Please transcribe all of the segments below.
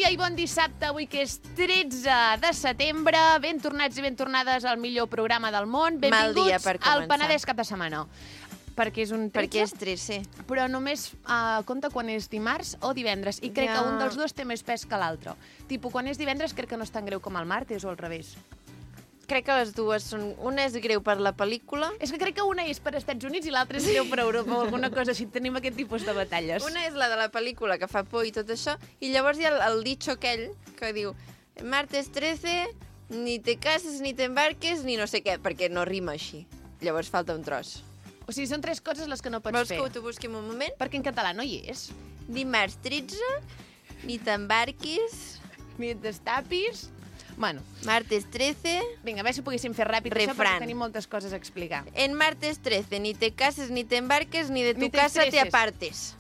dia i bon dissabte, avui que és 13 de setembre. Ben tornats i ben tornades al millor programa del món. Mal dia Benvinguts per al començar. Penedès cap de setmana. Perquè és un 13, Perquè és 13. però només compta quan és dimarts o divendres. I crec Ja. que un dels dos té més pes que l'altre. Tipo, quan és divendres crec que no és tan greu com el martes o al revés. Crec que les dues són... Una és greu per la pel·lícula. És que crec que una és per Estats Units i l'altra és greu per Europa o alguna cosa així. Tenim aquest tipus de batalles. Una és la de la pel·lícula, que fa por i tot això, i llavors hi ha el dicho aquell que diu martes 13, ni te cases, ni te embarques, ni no sé què, perquè no rima així. Llavors falta un tros. O sigui, són tres coses les que no pots Vols fer. que t'ho busquem un moment? Perquè en català no hi és. Dimarts 13, ni t'embarquis. Ni et destapis. Bueno, Martes 13, vinga, a veure si poguéssim fer ràpid això Refrán. perquè tenim moltes coses a explicar. en martes 13, ni te cases, ni te embarques, ni de Ni tu te casa te estreses. apartes.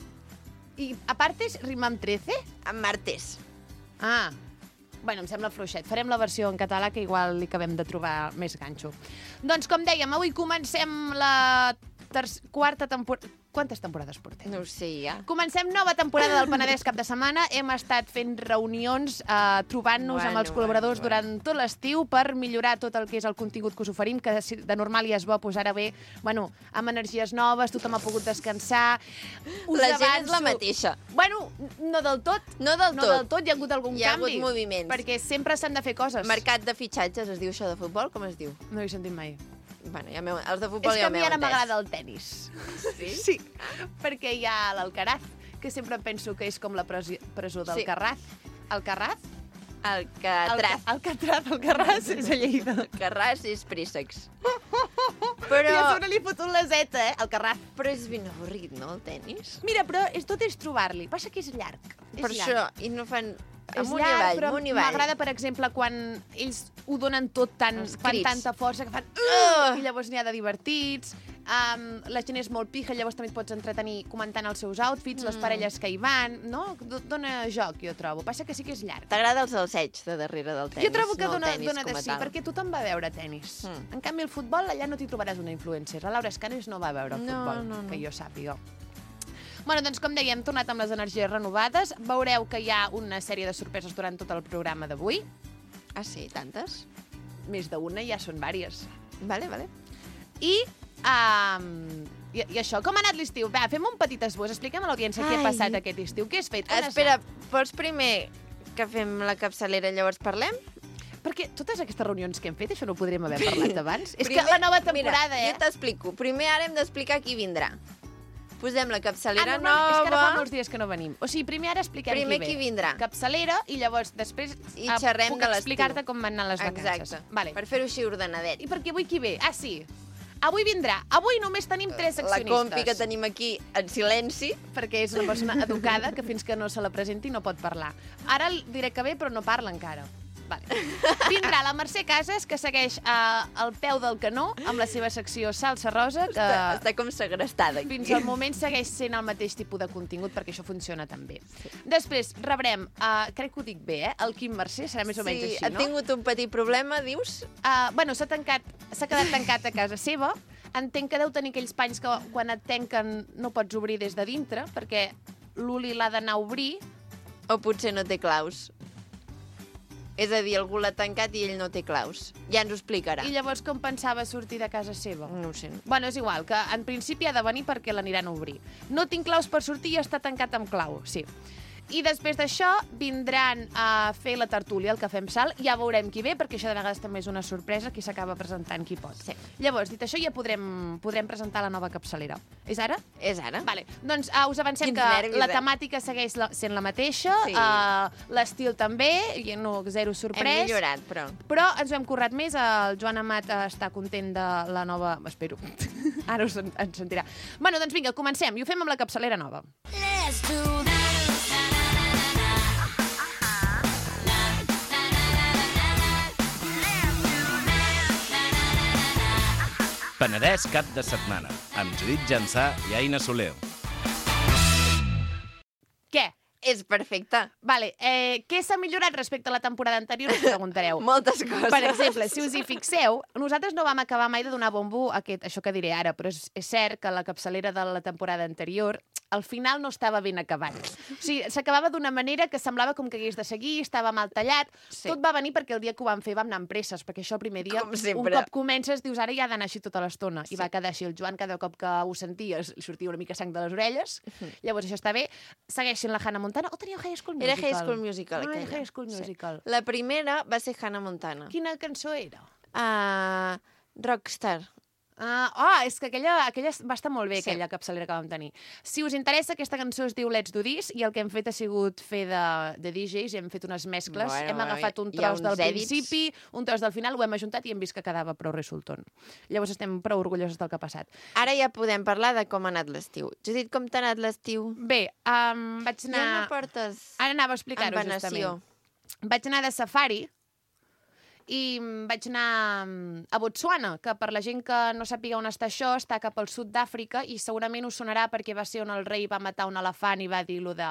I a partes rima amb 13? En martes. Ah, bueno, em sembla fluixet. Farem la versió en català que igual li acabem de trobar més ganxo. Doncs com dèiem, avui comencem la quarta temporada... Quantes temporades portem? No ho sé, ja. Comencem nova temporada del Penedès cap de setmana. Hem estat fent reunions, trobant-nos amb els col·laboradors durant tot l'estiu per millorar tot el que és el contingut que us oferim, que de normal ja és bo, doncs ara ve, bueno, amb energies noves, tothom ha pogut descansar. La gent és la mateixa. Bueno, no del tot. No del No tot. del tot, hi ha hagut algun Hi ha canvi. hagut moviments. Perquè sempre s'han de fer coses. Mercat de fitxatges, es diu això de futbol? Com es diu? No ho he sentit mai. Bueno, ja els de futbol És ja que a mi m'heu ara entès. m'agrada el tennis. Sí? Sí, perquè hi ha l'Alcaraz, que sempre penso que és com la presó del Sí. Carraz. Alcarraz? Alcatraz. Alcarraz és a Lleida. Alcarràs és préssecs. Però... I a Però, sobre li fot un la zeta, Alcarraz. però és ben avorrit, no, el tennis? Mira, però tot és trobar-li. Passa que és llarg. És Per llarg. això, i no fan... És Amunt i llarg, avall, però amunt i avall. m'agrada, per exemple, quan ells ho donen tot fan crits. tanta força que fan... I llavors n'hi ha de divertits. La gent és molt pija, llavors també et pots entretenir comentant els seus outfits, les parelles que hi van, no? Dona joc, jo trobo. Passa que sí que és llarg. T'agrada el salseig de darrere del tennis, Jo trobo que no el dona tennis de com a sí, tal. perquè tothom va a veure tennis. Mm. En canvi, el futbol, allà no t'hi trobaràs una influencer. La Laura Escanes no va a veure el No, futbol, no. que jo sàpiga. Bueno, doncs, com dèiem, hem tornat amb les energies renovades. Veureu que hi ha una sèrie de sorpreses durant tot el programa d'avui. Ah, sí? Tantes? Més d'una, ja són vàries. Vale, vale. I això, com ha anat l'estiu? Va, fem un petit esbós, expliquem a l'audiència què ha Ai. passat aquest estiu. Què has fet? On has Espera, anat? vols primer que fem la capçalera i llavors parlem? Perquè totes aquestes reunions que hem fet, això no ho podríem haver parlat abans. És que Primer- la nova temporada, Mira, jo t'explico. Primer ara hem d'explicar qui vindrà. Posem la capçalera no, és que ara fa nova molts dies que no venim. O sigui, primer ara expliquem Primer qui ve. qui vindrà. Capçalera i llavors després I xerrem puc de l'estiu. explicar-te com van anar les vacances. Exacte. Vale. Per fer-ho així ordenadet. I perquè avui qui ve? Ah, sí. Avui vindrà. Avui només tenim 3 La accionistes. compi que tenim aquí en silenci. Perquè és una persona educada que fins que no se la presenti no pot parlar. Ara diré que ve, però no parla encara. Vale. Vindrà la Mercè Casas, que segueix al peu del canó amb la seva secció Salsa Rosa, que Està com segrestada aquí. fins al moment segueix sent el mateix tipus de contingut, perquè això funciona també. Després rebrem, crec que ho dic bé, el Quim Mercè, serà més o menys així, ha no? tingut un petit problema, dius? Bueno, s'ha quedat tancat a casa seva. Entenc que deu tenir aquells panys que quan et tanquen no pots obrir des de dintre, perquè l'Uli l'ha d'anar a obrir. O potser no té claus. És a dir, algú l'ha tancat i ell no té claus. Ja ens ho explicarà. I llavors com pensava sortir de casa seva? No ho sé. Bueno, és igual, que en principi ha de venir perquè l'aniran a obrir. No tinc claus per sortir i està tancat amb clau, sí. I després d'això vindran a fer la tertúlia, el Cafè amb Sal. Ja veurem qui ve, perquè això de vegades també és una sorpresa, qui s'acaba presentant qui pot. Sí. Llavors, dit això, ja podrem presentar la nova capçalera. És ara? És ara? Vale. Doncs us avancem Quins que nervis, la eh? temàtica segueix sent la mateixa, Sí. l'estil també, i no, zero Hem sorprès. millorat, però... Però ens ho hem currat més, el Joan Amat està content de la nova... Espero, ara ens sentirà. Bueno, doncs vinga, comencem, i ho fem amb la capçalera nova. Let's do that. Penedès cap de setmana, amb Judit Jansà i Aina Soler. Què? És perfecte. Vale, què s'ha millorat respecte a la temporada anterior, us preguntareu. Moltes coses. Per exemple, si us hi fixeu, nosaltres no vam acabar mai de donar bombo a això que diré ara, però és cert que la capçalera de la temporada anterior al final no estava ben acabat. O sigui, s'acabava d'una manera que semblava com que hagués de seguir, estava mal tallat. Sí. Tot va venir perquè el dia que ho vam fer vam anar amb presses, perquè això el primer dia, Com un sempre. cop comences, dius, ara ja ha d'anar així tota l'estona. I va quedar així. El Joan, cada cop que ho sentia, li sortia una mica sang de les orelles. Llavors, això està bé. Segueixin la Hannah Montana. O teníeu High School Musical? Era High School Musical, No, era aquella. High School Musical. La primera va ser Hannah Montana. Quina cançó era? Rockstar. És que aquella va estar molt bé, Sí. aquella capçalera que vam tenir. Si us interessa, aquesta cançó es diu Let's Do This i el que hem fet ha sigut fer de DJs i hem fet unes mescles. Bueno, hem agafat un hi ha tros del uns edits. principi, un tros del final, ho hem ajuntat i hem vist que quedava prou resulton. Llavors estem prou orgulloses del que ha passat. Ara ja podem parlar de com ha anat l'estiu. Judit, com t'ha anat l'estiu? Bé, vaig anar... Ja no portes Ara anava a explicar-ho, envenació. justament. Vaig anar de safari i vaig anar a Botswana, que per la gent que no sàpiga on està això, està cap al sud d'Àfrica i segurament us sonarà perquè va ser on el rei va matar un elefant i va dir lo de...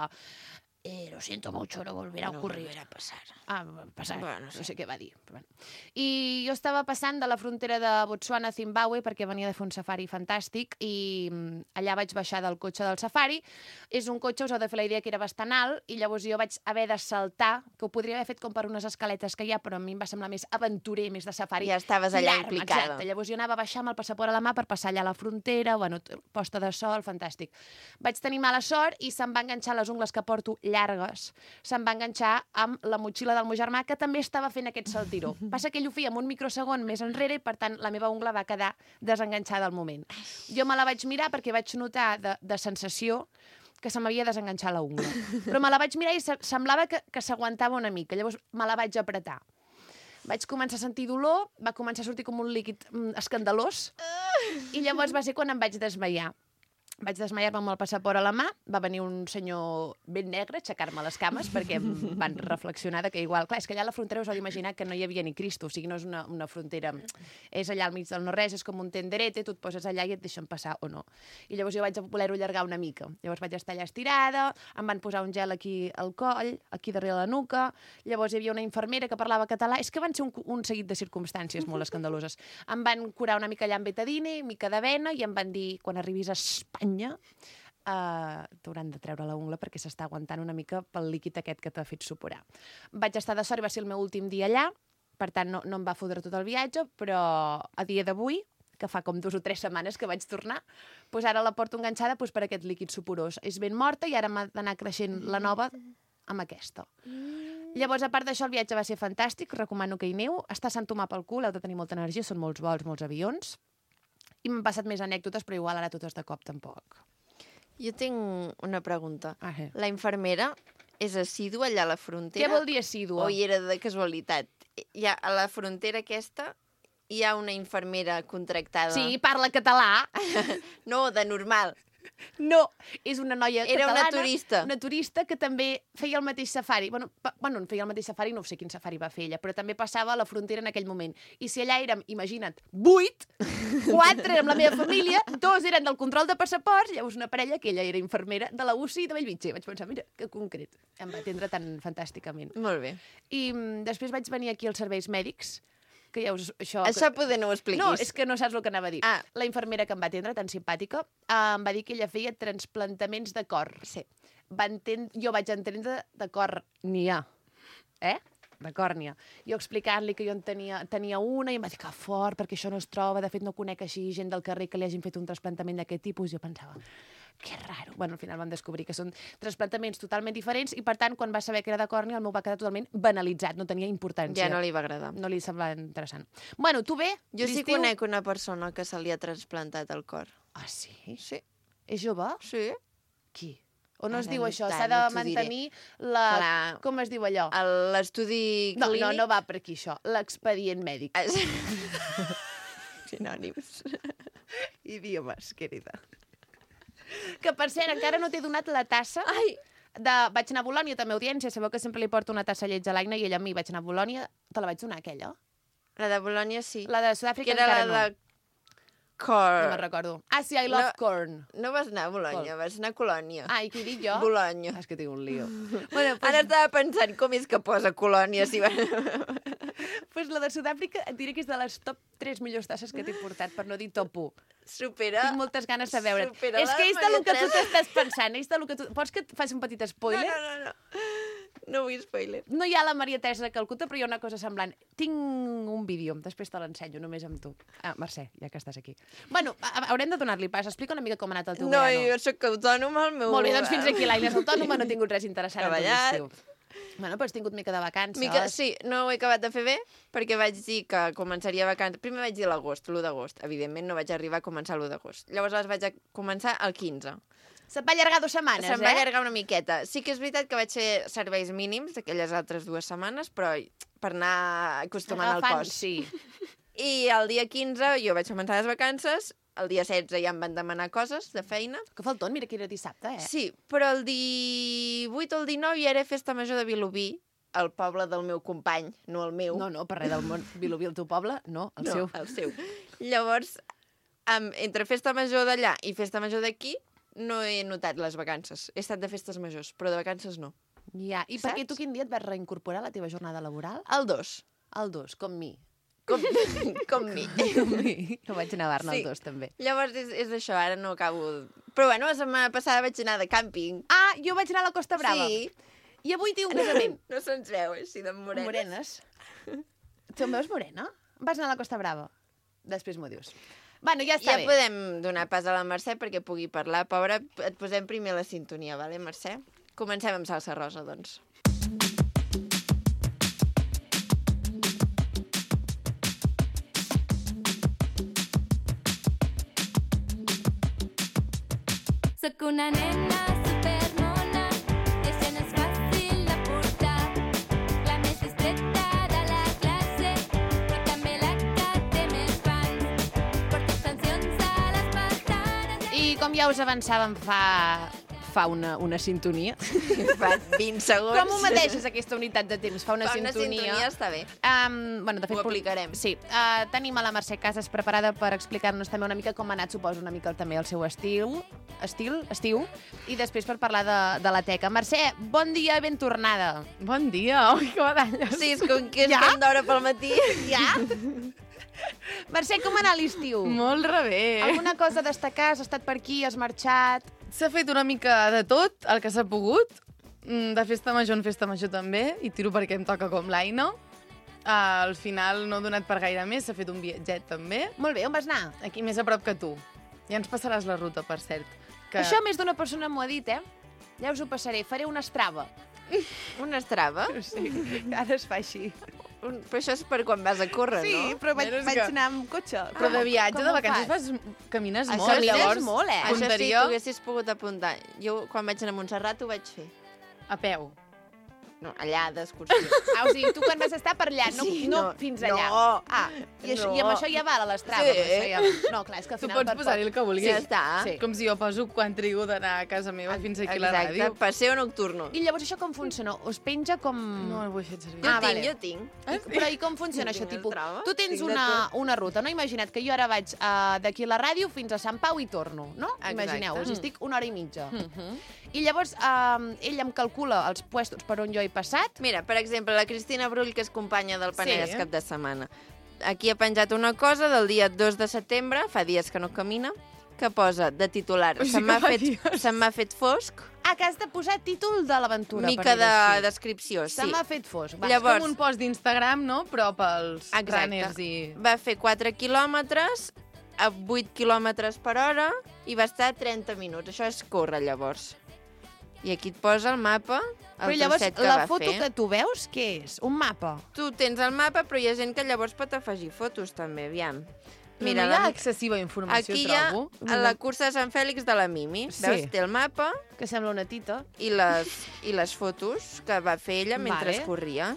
lo siento mucho, no volverá a ocurrir. volverá a pasar. Passar. Bueno, No sé què va dir. Però bueno. I jo estava passant de la frontera de Botswana a Zimbabue perquè venia de fer un safari fantàstic i allà vaig baixar del cotxe del safari. És un cotxe, us heu de fer la idea, que era bastant alt i llavors jo vaig haver de saltar, que ho podria haver fet com per unes escaletes que hi ha, però a mi em va semblar més aventurer, més de safari. Ja estaves allà Tirar-me, implicada. Exacte. Llavors jo anava a baixar amb el passaport a la mà per passar allà a la frontera, bueno, posta de sol, fantàstic. Vaig tenir mala sort i se'm va enganxar les ungles que porto llargues. Se'm va enganxar amb la motxilla del meu germà, que també estava fent aquest saltiró. Passa que ell ho feia en un microsegon més enrere i, per tant, la meva ungla va quedar desenganxada al moment. Jo me la vaig mirar perquè vaig notar de sensació que se m'havia desenganxat la ungla. Però me la vaig mirar i semblava que s'aguantava una mica. Llavors me la vaig apretar. Vaig començar a sentir dolor, va començar a sortir com un líquid escandalós i llavors va ser quan em vaig desmaiar. Vaig desmaiar-me amb el passaport a la mà, va venir un senyor ben negre a aixecar-me les cames perquè em van reflexionar que igual... Clar, és que allà a la frontera us heu d'imaginar que no hi havia ni Cristo, o sigui, no és una frontera... És allà al mig del no-res, és com un tenderete, tu et poses allà i et deixen passar o no. I llavors jo vaig voler-ho allargar una mica. Llavors vaig estar allà estirada, em van posar un gel aquí al coll, aquí darrere la nuca, llavors hi havia una infermera que parlava català, és que van ser un seguit de circumstàncies molt escandaloses. Em van curar una mica allà amb betadine, mica d'avena, i em van dir, quan arribis a Espanya, t'hauran de treure la ungla perquè s'està aguantant una mica pel líquid aquest que t'ha fet supurar. Vaig estar de sort i va ser el meu últim dia allà, per tant no em va fotre tot el viatge, però a dia d'avui, que fa com 2 o 3 setmanes que vaig tornar, doncs ara la porto enganxada per aquest líquid suporós. És ben morta i ara m'ha d'anar creixent la nova amb aquesta. Llavors, a part d'això, el viatge va ser fantàstic, recomano que hi aneu. Està a Sant Tomà pel cul, heu de tenir molta energia, són molts vols, molts avions. I m'han passat més anècdotes, però igual ara totes de cop tampoc. Jo tinc una pregunta. Sí. La infermera és assídua allà a la frontera? Què vol dir assídua? O hi era de casualitat? A la frontera aquesta hi ha una infermera contractada? Sí, parla català. No, de normal. No, és una noia Era catalana. una turista. Una turista que també feia el mateix safari. Bueno, feia el mateix safari, no sé quin safari va fer ella, però també passava a la frontera en aquell moment. I si allà érem, imagina't, 8, 4 érem la meva família, 2 eren del control de passaports, llavors una parella que ella era infermera de la UCI de Bellvitge. Vaig pensar, mira, que concret. Em va atendre tan fantàsticament. Molt bé. I després vaig venir aquí als serveis mèdics, que ja us... Això poder no ho expliquis. No, és que no saps el que anava a dir. Ah. La infermera que em va atendre, tan simpàtica, em va dir que ella feia transplantaments de cor. Sí. Jo vaig entendre de còrnia. De còrnia. Jo explicant-li que jo en tenia una i em va dir que fort, perquè això no es troba. De fet, no conec així gent del carrer que li hagin fet un trasplantament d'aquest tipus. Jo pensava, que raro. Bueno, al final vam descobrir que són trasplantaments totalment diferents i, per tant, quan va saber que era de còrnia, el meu va quedar totalment banalitzat, no tenia importància. Ja no li va agradar. No li semblava interessant. Bueno, tu bé? Jo sí conec una persona que se li ha transplantat el cor. Ah, sí? Sí. És jove? Sí. Qui? O no es Ara diu no això? tant, S'ha de no t'ho mantenir la... Clar. Com es diu allò? L'estudi clínic... No va per aquí, això. L'expedient mèdic. Sinònims. Idiomes, querida. Que, per cert, encara no t'he donat la tassa. Ai! Vaig anar a Bolònia, també, audiència. Sabeu que sempre li porto una tassa lleig a l'Aina i ella a mi. Vaig anar a Bolònia. Te la vaig donar, aquella? La de Bolònia, sí. La de Sud-àfrica que era encara la de corn. No me'n recordo. Ah, sí, I love corn. No vas anar a Bolònia, vas anar a Colònia. Ah, i què dic jo? Bolònia. És que tinc un lío. Bueno, pues... Ara estava pensant com és que posa Colònia si va... Pues la de Sud-àfrica et diré que és de les top 3 millors tasses que t'he portat, per no dir top 1. Supera... Tinc moltes ganes de veure't. supera És que la és del que tu Maria t'estàs pensant. És del que tu... Vols que et faci un petit spoiler? No. No vull spoiler. No hi ha la Maria Teresa de Calcuta, però hi ha una cosa semblant. Tinc un vídeo, després te l'ensenyo, només amb tu. Ah, Mercè, ja que estàs aquí. Bueno, haurem de donar-li pas. Explica una mica com ha anat el teu No, verano. jo sóc autònoma, el meu... Molt bé, doncs fins aquí l'Aina és autònoma, no he tingut res interessant en tot Treballat. l'estiu. Bueno, però has tingut mica de vacances. Sí, no ho he acabat de fer bé, perquè vaig dir que començaria vacances... Primer vaig dir l'agost, l'1 d'agost. Evidentment no vaig arribar a començar l'1 d'agost. Llavors les vaig començar el 15. Se't va allargar 2 setmanes, Se'm va allargar una miqueta. Sí que és veritat que vaig fer serveis mínims aquelles altres 2 setmanes, però per anar acostumant el cos. Sí. I el dia 15 jo vaig començar les vacances, el dia 16 ja em van demanar coses de feina. Que falton, mira que era dissabte, eh? Sí, però el 18 o el 19 ja era festa major de Vilobí, el poble del meu company, no el meu. No, per res del món. Vilobí, el teu poble? No, el seu. El seu. Llavors, entre festa major d'allà i festa major d'aquí, no he notat les vacances. He estat de festes majors, però de vacances no. Ja, i per què tu quin dia et vas reincorporar a la teva jornada laboral? El 2. El 2, com mi. Com mi. Com mi. Que vaig anar a Barna el 2, també. Llavors és això, ara no acabo... Però bueno, la setmana passada vaig anar de càmping. Ah, jo vaig anar a la Costa Brava. Sí. I avui tinc un casament. No se'ns veu, així de morenes. Morenes. Tu em veus morena? Vas anar a la Costa Brava. Després m'ho dius. Bueno, ja està Ja bé. podem donar pas a la Mercè perquè pugui parlar. Pobra, et posem primer la sintonia, vale, Mercè? Comencem amb salsa rosa, doncs. Soc una nena supermona, això no és fàcil de portar. La més distreta de la classe, però també la que té més fans. Porto extensions a les pestanes... I com ja us avançàvem fa una sintonia. Fa 20 segons. Com ho medeixes, aquesta unitat de temps? Fa una sintonia. Està bé. Bueno, de fet, Ho aplicarem. Sí. Tenim a la Mercè Casas preparada per explicar-nos també una mica com ha anat, suposo, una mica també el seu estiu, i després per parlar de la teca. Mercè, bon dia i ben tornada. Bon dia, oi, que badalles. Sí, és com que és Ja? tan d'hora pel matí. Ja? Mercè, com ha anat l'estiu? Molt rebé. Alguna cosa a destacar? Has estat per aquí, has marxat... S'ha fet una mica de tot, el que s'ha pogut. De festa major en festa major també, i tiro perquè em toca com l'Aina. Al final no he donat per gaire més, s'ha fet un viatget també. Molt bé, on vas anar? Aquí més a prop que tu. Ja ens passaràs la ruta, per cert. Que... Això més d'una persona m'ho ha dit, Ja us ho passaré. Faré una estrava. Una estrava? Sí, ara es fa així. Però això és per quan vas a córrer, no? però vaig Menys vaig que- anar amb cotxe. Però de viatge, com de ho vacances, fas? camines Això molt. sí, Llavors, molt, Això sí, punteria tu haguessis pogut apuntar. Jo, quan vaig anar a Montserrat, ho vaig fer. a peu. No, allà, d'excursió. Ah, o sigui, tu quan vas estar per allà, no, Sí, no no, fins no. allà. Ah, i, això, No. i amb això ja val a l'estrava. Sí. Això ja... No, clar, és que al Tu final... pots posar-hi el que vulguis. Ja està. Sí. Com si jo poso quan trigo d'anar a casa meva fins aquí a la Exacte, ràdio. paseo nocturno. I llavors això com funciona? Us penja com... No ho he fet servir. Jo Ah, tinc, vale. jo tinc. Però i com funciona això? Tinc el Tipus, trava, tu tens tinc de una ruta, no? Imagina't que jo ara vaig d'aquí a la ràdio fins a Sant Pau i torno, no? Exacte. Imagineu-vos, estic 1 hora i mitja. I llavors ell em calcula els puestos per on jo he passat. Mira, per exemple, la Cristina Brull, que és companya del Penedès Sí. cap de setmana. Aquí ha penjat una cosa del dia 2 de setembre, fa dies que no camina, que posa de titular Ui, sí se que m'ha fa fet, dies. se m'ha fet fosc, Ah, que has de posar títol de l'aventura. mica per dir-ho de així. descripció, Se sí. m'ha fet fosc. Va. Llavors- Com un post d'Instagram, no? Però pels Exacte. runners i... Va fer 4 quilòmetres a 8 quilòmetres per hora i va estar 30 minuts. Això és córrer, llavors. I aquí et posa el mapa, el Però llavors, trosset que la va foto fer. que tu veus, què és? Un mapa? Tu tens el mapa, però hi ha gent que llavors pot afegir fotos, també, aviam. Mira, no hi ha excessiva informació, aquí hi ha trobo. a la cursa de Sant Fèlix de la Mimi. Sí. Veus, té el mapa Que sembla una tita. i les fotos que va fer ella mentre Vale. corria.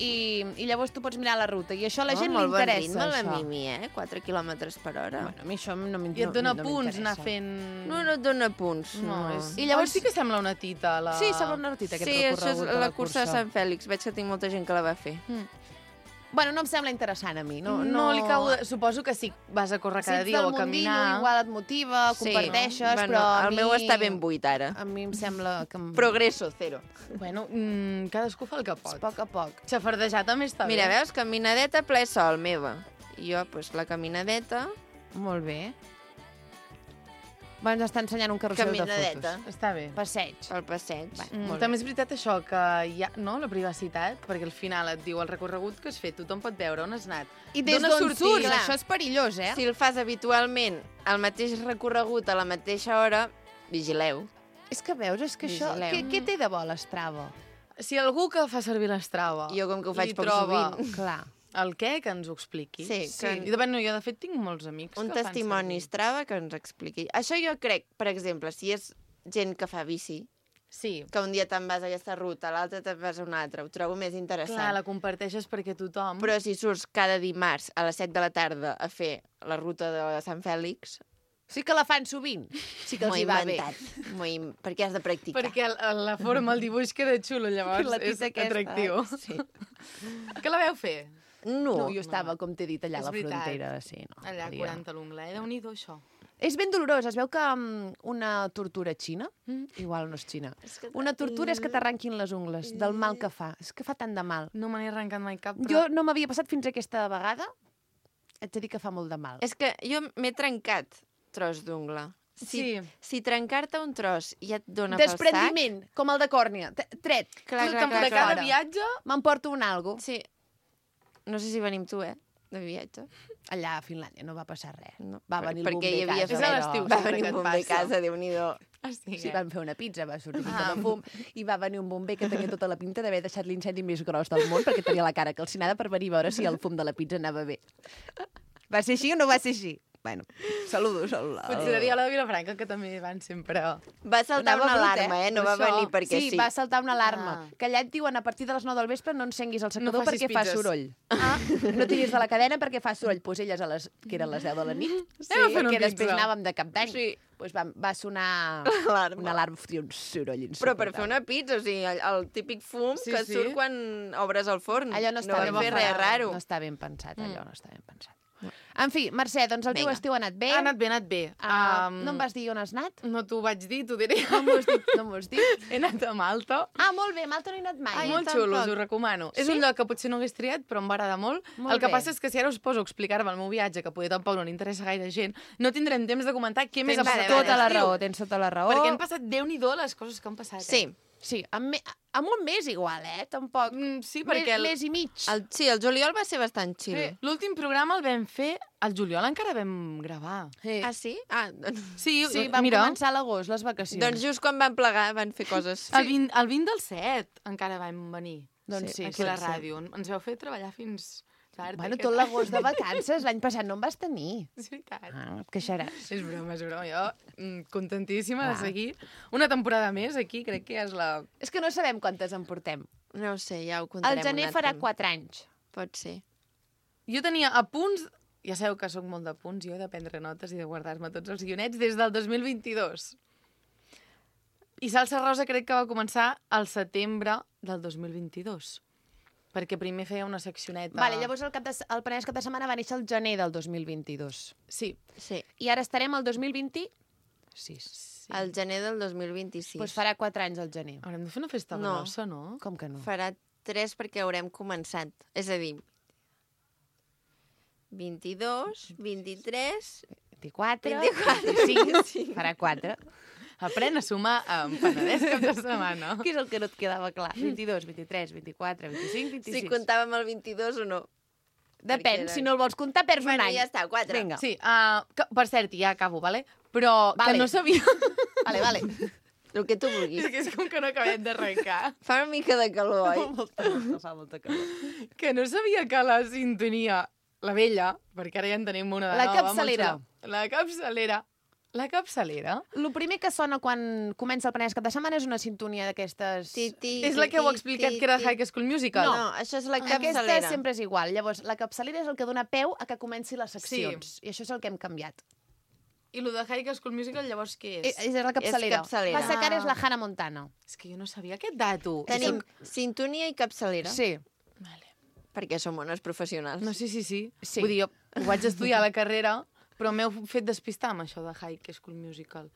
I llavors tu pots mirar la ruta. I això a la gent li molt bon interessa, ritme, la això. Mimi, 4 quilòmetres per hora. Bueno, a mi això no m'interessa. I et dona punts anar fent... No, no et dona punts, No, no. és... I llavors- sí que sembla una tita, la... Sí, sembla una rutita, aquest Sí, això és recorregut de la cursa de Sant Fèlix. Veig que tinc molta gent que la va fer. Bueno, no em sembla interessant a mi. No li cau... Suposo que sí, vas a córrer cada dia o a mundillo, caminar. igual et motiva, comparteixes, Bueno, però a el mi... meu està ben buit, ara. A mi em sembla que... Progresso, zero. Bueno, cadascú fa el que A pot. poc a poc. Xafardejar també està Mira, bé. veus, caminadeta ple sol, meva. I jo, doncs, la caminadeta... Molt bé. Ens està ensenyant un carrusel de Caminadeta. fotos. Està bé. Passeig. Pel passeig. Molt També és veritat això, que hi ha la privacitat, perquè al final et diu el recorregut que has fet, tothom pot veure on has anat. I des D'on has d'on sortit? surts, Clar. això és perillós, eh? Si el fas habitualment el mateix recorregut a la mateixa hora, vigileu. És que veus, és que això... Vigileu. Què té de bo l'Strava? Si algú que fa servir l'Strava Jo, com que ho faig li poc troba sovint. Clar. el què, que ens ho expliqui. Sí, que- I de fet, jo de fet tinc molts amics Un que el fan testimoni servir. Strava que ens expliqui. Això jo crec, per exemple, si és gent que fa bici, Sí. que un dia te'n vas a aquesta ruta, l'altre te'n vas a una altra, ho trobo més interessant. Clar, la comparteixes perquè tothom... Però si surts cada dimarts a les 7 de la tarda a fer la ruta de Sant Fèlix, Sí que la fan sovint. Sí que els m'ho hi he va bé. inventat. Perquè has de practicar. Perquè la forma, el dibuix queda xulo, llavors La és tita aquesta, atractiu. Sí. Que la veu fer? No, No, jo estava, com t'he dit, allà És a la veritat. frontera. Sí, no, Allà, podia. 40 l'ungla. Déu-n'hi-do, això. És ben dolorós. Es veu que una tortura xina, igual no és xina, És que una tortura és que t'arranquin les ungles, del mal que fa. És que fa tant de mal. No me n'he arrencat mai cap, Jo no m'havia passat fins aquesta vegada. Haig de dir que fa molt de mal. És que jo m'he trencat tros d'ungla. Sí. Si trencar-te un tros ja et dona pel sac... Desprendiment, com el de còrnia. Tret. Clar, Tu, clar, de clar, cada clar. viatge... M'emporto un algo. Sí. No sé si venim tu, de viatge. Allà a Finlàndia no va passar res. No, Va venir el perquè bomber hi havia a casa. És a l'estiu, Va sempre venir que un et bomber a passa. casa, Déu-n'hi-do. Sí, van fer una pizza, va sortir pinta de fum, i va venir un bomber que tenia tota la pinta d'haver deixat l'incendi més gros del món, perquè tenia la cara calcinada per venir a veure si el fum de la pizza anava bé. Va ser així o no va ser així? Bueno, saludos. Potser diria la de Vilafranca, que també van sempre... Va saltar Anava una brut, alarma, no Per va això. venir perquè sí. Sí, va saltar una alarma. Ah. Que allà et diuen a partir de les 9 del vespre no encenguis el secador facis perquè fa pizzas. soroll. Ah, no tiris de la cadena perquè fa soroll. Pues elles, que eren les 10 de la nit, Anem a fer una que després pizza. anàvem de cap d'any, Sí. pues va sonar L'alarma. una alarma, fotia un soroll Però per insuportable. fer una pizza, o sigui, el típic fum Sí, que sí. surt quan obres el forn. Allò no està va ben fer res raro. No està ben pensat, allò no està ben pensat. En fi, Mercè, doncs el teu Vinga. estiu ha anat bé. Ha anat bé, ha anat bé. No em vas dir on has anat? No t'ho vaig dir, t'ho diré. No m'ho has dit. No m'ho has dit. He anat a Malta. Ah, molt bé, Malta no he anat mai. Ai, Molt jo xulo, tampoc. us ho recomano. És Sí? un lloc que potser no hagués triat, però em va agradar molt. Molt El que bé. passa és que si ara us poso a explicar-me el meu viatge, que poder tampoc no li interessa gaire gent, no tindrem temps de comentar què més ha Tens passat. tota la aquest raó, estiu. tens tota la raó. Perquè han passat, Déu-n'hi-do, les coses que han passat. Sí, Sí, amb un mes igual, Tampoc. Sí, perquè Mes i mig. el juliol va ser bastant chill. l'últim programa el vam fer... Al juliol encara vam gravar. Ah, sí? Ah, doncs... Sí, Sí, vam mira, començar a l'agost, les vacacions. Doncs just quan van plegar van fer coses. el 20 del 7 encara vam venir. Doncs sí, aquí a la sí. ràdio. Ens vau fer treballar fins tard. Bueno, aquest tot any. l'agost de vacances, l'any passat no em vas tenir. És veritat. Ah, et queixaràs. És broma, és broma. Jo contentíssima de Clar. seguir una temporada més aquí, crec que és la... És que no sabem quantes en portem. No ho sé, ja ho contarem. El gener un farà altre. 4 anys. Pot ser. Jo tenia apunts, ja sabeu que sóc molt d'apunts, jo, de prendre notes i de guardar-me tots els guionets, des del 2022. I Salsa Rosa crec que va començar al setembre del 2022. Perquè primer feia una seccioneta... Vale, llavors el Penedès cap de setmana va néixer el gener del 2022. Sí. Sí, I ara estarem al 2026. sí. el gener del 2026. Doncs farà 4 anys el gener. Haurem de fer una festa No. grossa, no? Com que no? Farà 3 perquè haurem començat. És a dir, 22, 23... 24, 24, 25, farà 4. Aprèn a sumar amb Penedès cap de setmana. Què és el que no et quedava clar? 22, 23, 24, 25, 26. Si comptàvem el 22 o no. Depèn, perquè si no el vols comptar, perds Bueno, un any. ja està, 4. Vinga. Sí, per cert, ja acabo, vale? Però Vale. que no sabia... Vale. El que tu vulguis. És que és com que no acabem d'arrencar. Fa una mica de calor, oi? Fa molta calor. Que no sabia que la sintonia, la vella, perquè ara ja en tenim una de La nova. capçalera. molt xula. La capçalera. La capçalera El primer que sona quan comença el Penedès cap de setmana és una sintonia d'aquestes... és la que heu explicat que era High School Musical. No, això és la Aquesta capçalera. sempre és igual. Llavors, la capçalera és el que dona peu a que comenci les seccions. I això és el que hem canviat. I el de High School Musical, llavors, què és? És la capçalera. capçalera. Passa que ara és la Hannah Montana. És que jo no sabia aquest dato. Tenim sintonia i capçalera. Sí. Vale. Perquè som bones professionals. No, sí. Sí. Vull dir, jo ho vaig estudiar a la carrera, però m'heu fet despistar amb això de High School Musical.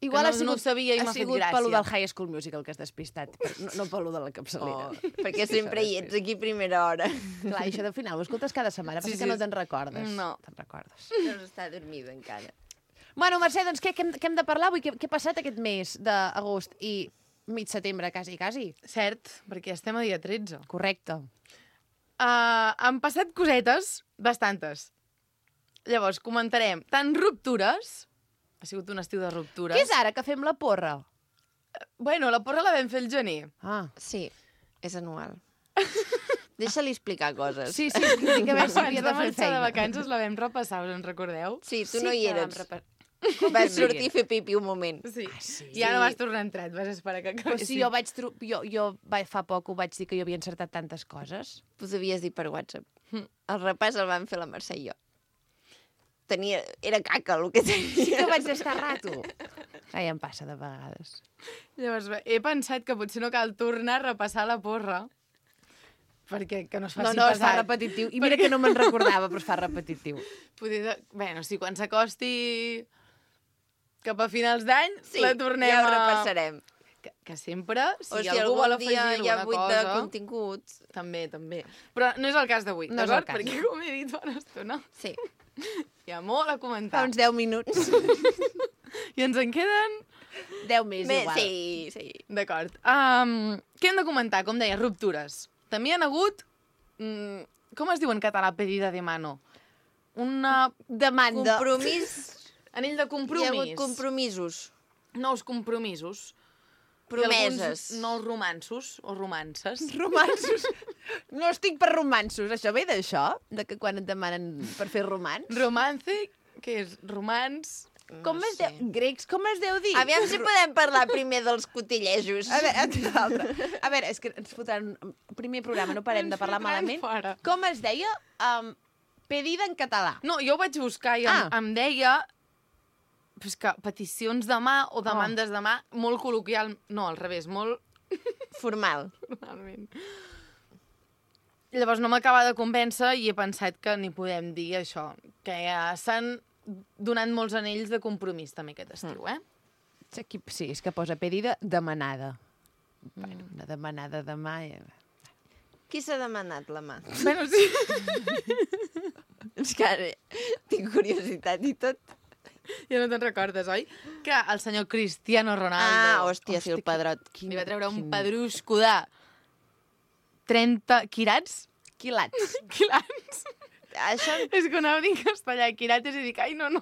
Igual no ho sabia i m'ha fet gràcia. pel del High School Musical que has despistat, no pel de la capçalera. Perquè sempre hi ets aquí a primera hora. Clar, això de final ho escoltes cada setmana, Sí, perquè sí. no te'n recordes. No. Te'n recordes. No està dormida encara. Bueno, Mercè, doncs què hem de parlar avui? Què ha passat aquest mes d'agost i mig setembre, quasi? Cert, perquè estem a dia 13. Correcte. Han passat cosetes, bastantes. Llavors, comentarem tant ruptures, ha sigut un estiu de ruptures. Què és ara, que fem la porra? Bueno, la porra la vam fer el gener. Ah. Sí, és anual. Deixa-li explicar coses. Sí, tinc a veure si Abans havia de de fer marxar de feina. vacances la vam repassar, us en recordeu? Sí, tu no hi que eres. vam Vas sortir a fer pipi un moment. Sí. sí? I ara vas tornar a entrar, et vas esperar que Però acabessin. si jo fa poc ho vaig dir que jo havia encertat tantes coses. Ho havies dit per WhatsApp. El repàs el van fer la Mercè i jo. Era caca el que tenia. Sí que vaig estar rato. Ja em passa de vegades. Llavors, he pensat que potser no cal tornar a repassar la porra, perquè que no es faci No, es fa pesat. repetitiu. I mira que no me'n recordava, però es fa repetitiu. Bueno, sí, quan s'acosti cap a finals d'any, Sí, la tornem ja ho a... repassarem. Que sempre, O si algú vol algun afegir dia hi ha alguna buit cosa... de continguts. També. Però no és el cas d'avui, No és el d'acord? cas. Perquè, com he dit fa una estona, Sí. hi ha molt a Fa comentar. uns 10 minuts. I ens en queden... 10 més, igual. Sí. D'acord. Què hem de comentar? Com deia, ruptures. També hi ha hagut... com es diu en català pedida de mano? Una... Demanda. Compromís. Anell de Hi ha compromís. hagut compromisos. Nous compromisos. Promeses. I alguns nous romanços o romances. Romansos. No estic per romansos. Això ve d'això? De que quan et demanen per fer romans? Romance, què és? Romans... Com es deu... Grecs, com es deu dir? Aviam si podem parlar primer dels cotillejos. A veure, és que ens fotran... Primer programa, no parem de parlar Ens fotran malament. fora. Com es deia? Pedida en català. No, jo ho vaig buscar i em deia pues que peticions de mà o demandes de mà molt col·loquial... No, al revés, molt Formal. formalment. Llavors no m'acaba de convèncer i he pensat que ni podem dir això, que ja s'han donat molts anells de compromís també aquest estiu, eh? Sí, és que posa pedida demanada. Bueno, una demanada de mà... Qui s'ha demanat la mà? Bueno, sí. És que ara tinc curiositat i tot. Ja no te'n recordes, oi? Que el senyor Cristiano Ronaldo... Hòstia, sí, el pedrot. Li va treure un pedrusco de 30 quirats? Quilats. Quilats. Això És que anava a dir en castellà, quirates, i dic, ai, no.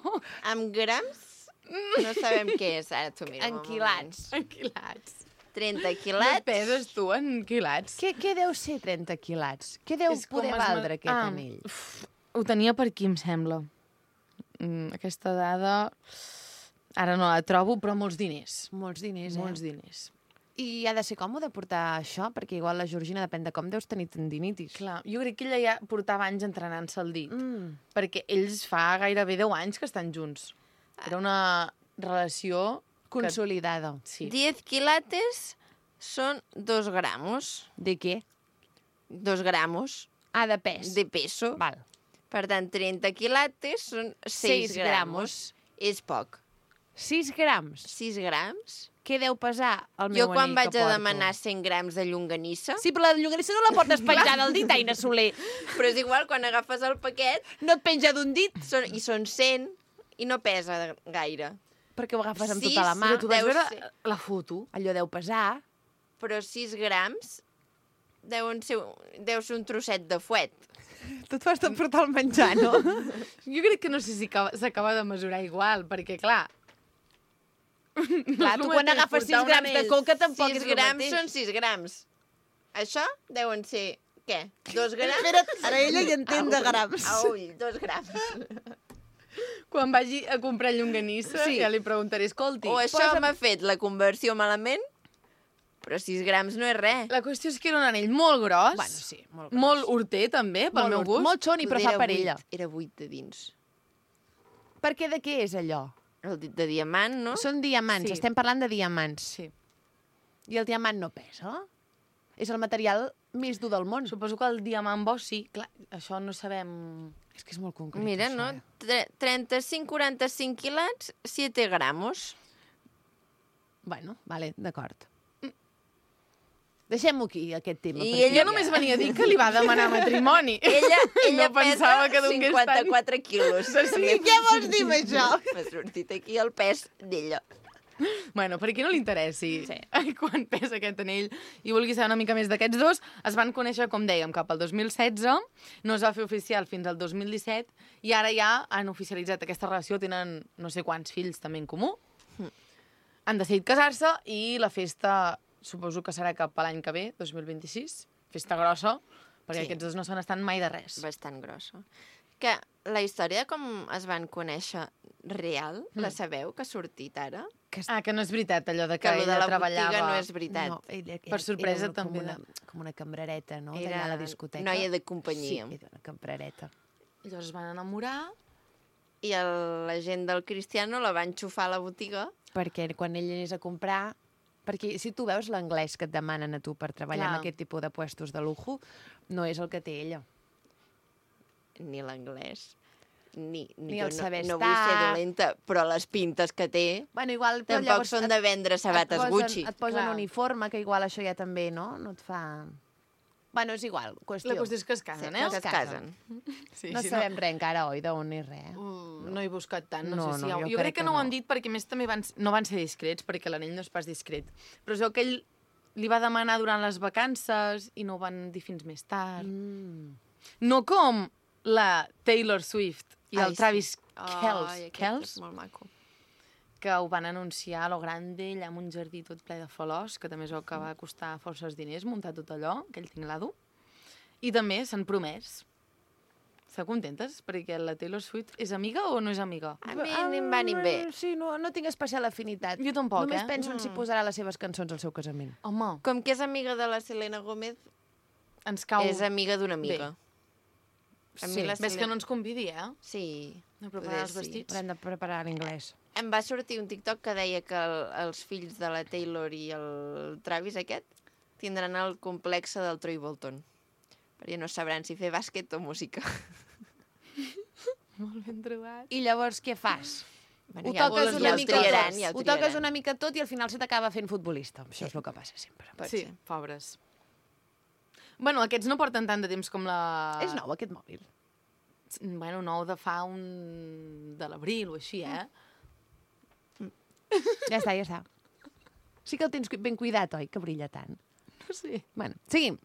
amb grams no sabem què és. Ara t'ho miro. En quilats. En quilats. 30 No quilats. peses tu en quilats? Què deu ser 30 quilats? Què deu És com poder es valdre aquest anell? Ho tenia per aquí, em sembla. Aquesta dada... Ara no la trobo, però molts diners. Molts diners, Molts diners. I ha de ser còmode portar això? Perquè igual la Georgina, depèn de com, deus tenir tendinitis. Clar, jo crec que ella ja portava anys entrenant-se el dit. Perquè ells fa gairebé 10 anys que estan junts. Era una relació... Consolidada. Sí. 10 quilates són 2 gramos. De què? 2 gramos Ah, de pes. de peso. Val. Per tant, 30 quilates són 6 gramos. És poc. 6 grams. 6 grams? Què deu pesar el meu Jo quan anell vaig que a porto? demanar 100 grams de llonganissa... Sí, però la llonganissa no la portes penjada al dit, Aina Soler. Però és igual, quan agafes el paquet, No et penja d'un dit, i són 100 i no pesa gaire. perquè ho agafes amb Sis, tota la mà. Però tu vas Deu veure ser. la foto? Allò deu pesar. Però 6 grams deu ser un trosset de fuet. Tu et fas de portar el menjar, no? Jo crec que no sé si s'acaba de mesurar igual, perquè, clar... Clar, tu el quan mateix agafes 6 portar un grams de anell. coca tampoc 6 és el grams mateix. són 6 grams. Això deuen ser, què? 2 grams? Espera't, ara ella hi entén de grams. Aull, 2 grams. Quan vagi a comprar llonganissa, Sí. ja li preguntaré, escolti... O això m'ha fet la conversió malament, però 6 grams no és res. La qüestió és que era un anell molt gros, Bueno, sí, molt gros. molt horter, també, pel meu gust. Molt xoni, però fa per ella. Era 8 de dins. Per què de què és allò? El dit de diamant, no? Són diamants, Sí. estem parlant de diamants. Sí. I el diamant no pesa? És el material més dur del món. Suposo que el diamant bo sí, clar, això no sabem... És que és molt concret, Mira, això, no? 35-45 quilats, 7 gramos. Bueno, vale, d'acord. Deixem-ho aquí, aquest tema. I perquè ella Jo només venia a dir que li va demanar matrimoni. Ella No pensava pesa que donés tant. 54 quilos. Sí, què vols dir amb això? M'ha sortit aquí el pes d'ella. Bueno, per a qui no li interessi Sí. quan pesa aquest anell i vulgui saber una mica més d'aquests dos, es van conèixer, com dèiem, cap al 2016, no es va fer oficial fins al 2017, i ara ja han oficialitzat aquesta relació, tenen no sé quants fills també en comú. Han decidit casar-se i la festa suposo que serà cap a l'any que ve, 2026, festa grossa, perquè Sí. aquests dos no se n'estan mai de res. Bastant grossa. Que la història de com es van conèixer real, la sabeu, que ha sortit ara? Ah, que no és veritat, allò de que, Que lo de ella la treballava... botiga no és veritat. No, ella, Per sorpresa, era també, Com una cambrereta, no? Era D'allà a la discoteca. noia de companyia. Sí, era una cambrereta. Llavors es van enamorar. I la gent del Cristiano la va enxufar a la botiga. Perquè quan ell anés a comprar... Perquè si tu veus l'anglès que et demanen a tu per treballar Clar. en aquest tipus de puestos de lujo, no és el que té ella. Ni l'anglès, ni el jo saber no vull ser estar. dolenta, però les pintes que té Bueno, igual... però tampoc llavors són de vendre sabates Gucci. Et posen Clar. uniforme, que igual això ja també, no? No et fa... Bueno, és igual, qüestió. La qüestió és que es casen, Sí, eh? Que es casen. Sí, No sí, sabem res encara, oi, d'on ni res. No he buscat tant, no, No, sé si no, hi ha... jo Jo crec crec que que no ho no. han dit perquè a més també no van ser discrets, perquè l'anell no és pas discret. Però es veu que ell li va demanar durant les vacances i no ho van dir fins més tard. No com la Taylor Swift i el Ai, sí. Travis Ai, aquest Kelce, és molt maco. que ho van anunciar a lo grande, allà en un jardí tot ple de flors, que també es veu que va costar forces diners muntar tot allò, aquell tinglado. I també s'han promès. Esteu contentes? Perquè la Taylor Swift és amiga o no és amiga? A mi ni em va ni em ve. Sí, no tinc especial afinitat. Jo tampoc, Només eh? penso en si posarà les seves cançons al seu casament. Home, Com que és amiga de la Selena Gómez, ens cau... és amiga d'una amiga. A mi Sí. la Ves que no ens convidi, eh? Sí. No preparar els sí. vestits. Haurem de preparar l'inglès. Em va sortir un TikTok que deia que els fills de la Taylor i el Travis aquest tindran el complexe del Troy Bolton. Perquè no sabran si fer bàsquet o música. Molt ben trobat. I llavors què fas? Bueno, Ho ja toques ho una mica triaran, tot. ja ho Ho toques triaran. una mica tot i al final se t'acaba fent futbolista. Això és el que passa sempre. Pot Sí, ser. pobres. Bueno, aquests no porten tant de temps com la... És nou, aquest mòbil. Bueno, nou de fa un... de l'abril o així, eh? Ja està. Sí que el tens ben cuidat, oi? Que brilla tant. No sé. Bueno, seguim.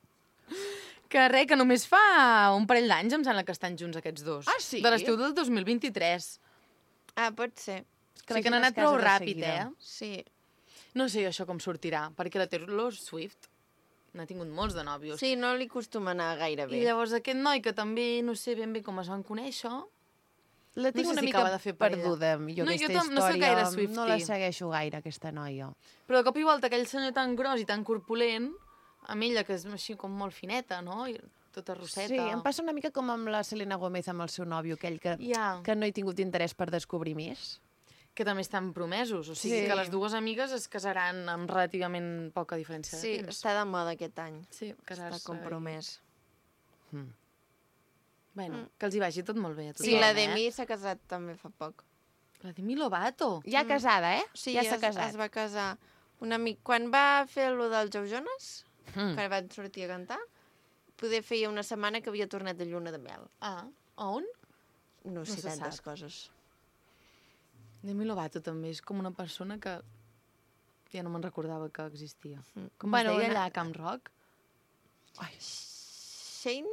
Que res, que només fa un parell d'anys em sembla que estan junts aquests dos. Ah, sí? De l'estiu del 2023. Ah, pot ser. Que la sí que gent han es anat prou casa de ràpid, seguida. eh? Sí. No sé això com sortirà, perquè la Taylor Swift n'ha tingut molts de nòvios. Sí, no li acostuma a anar gaire bé. I llavors aquest noi, que també no sé ben bé com es van conèixer, La tinc No sé una si mica acaba de fer parella. perduda, jo, No, aquesta jo no soc història. gaire Swiftie. No la segueixo gaire, aquesta noia. però de cop i volta aquell senyor tan gros i tan corpulent, amb ella, que és així com molt fineta, no? I tota rosseta. Sí, em passa una mica com amb la Selena Gómez, amb el seu nòvio, aquell Ja. que no he tingut interès per descobrir més. Que també estan promesos, o sigui Sí. que les dues amigues es casaran amb relativament poca diferència Sí, de temps. està de moda aquest any. Sí, casar-se. Està compromès. Bueno, que els hi vagi tot molt bé a tothom, Sí, la eh? Demi s'ha casat també fa poc. La Demi Lovato. Ja casada, eh? Sí, ja s'ha casat. es va casar un amic. Quan va fer lo del Joe Jonas, Mm. que van sortir a cantar, poder feia una setmana que havia tornat de lluna de mel. Ah, on? No sé se tantes sap. coses. Demi Lovato també és com una persona que ja no me'n recordava que existia. Com Bueno, es deia una- allà a Camp Rock? Shane?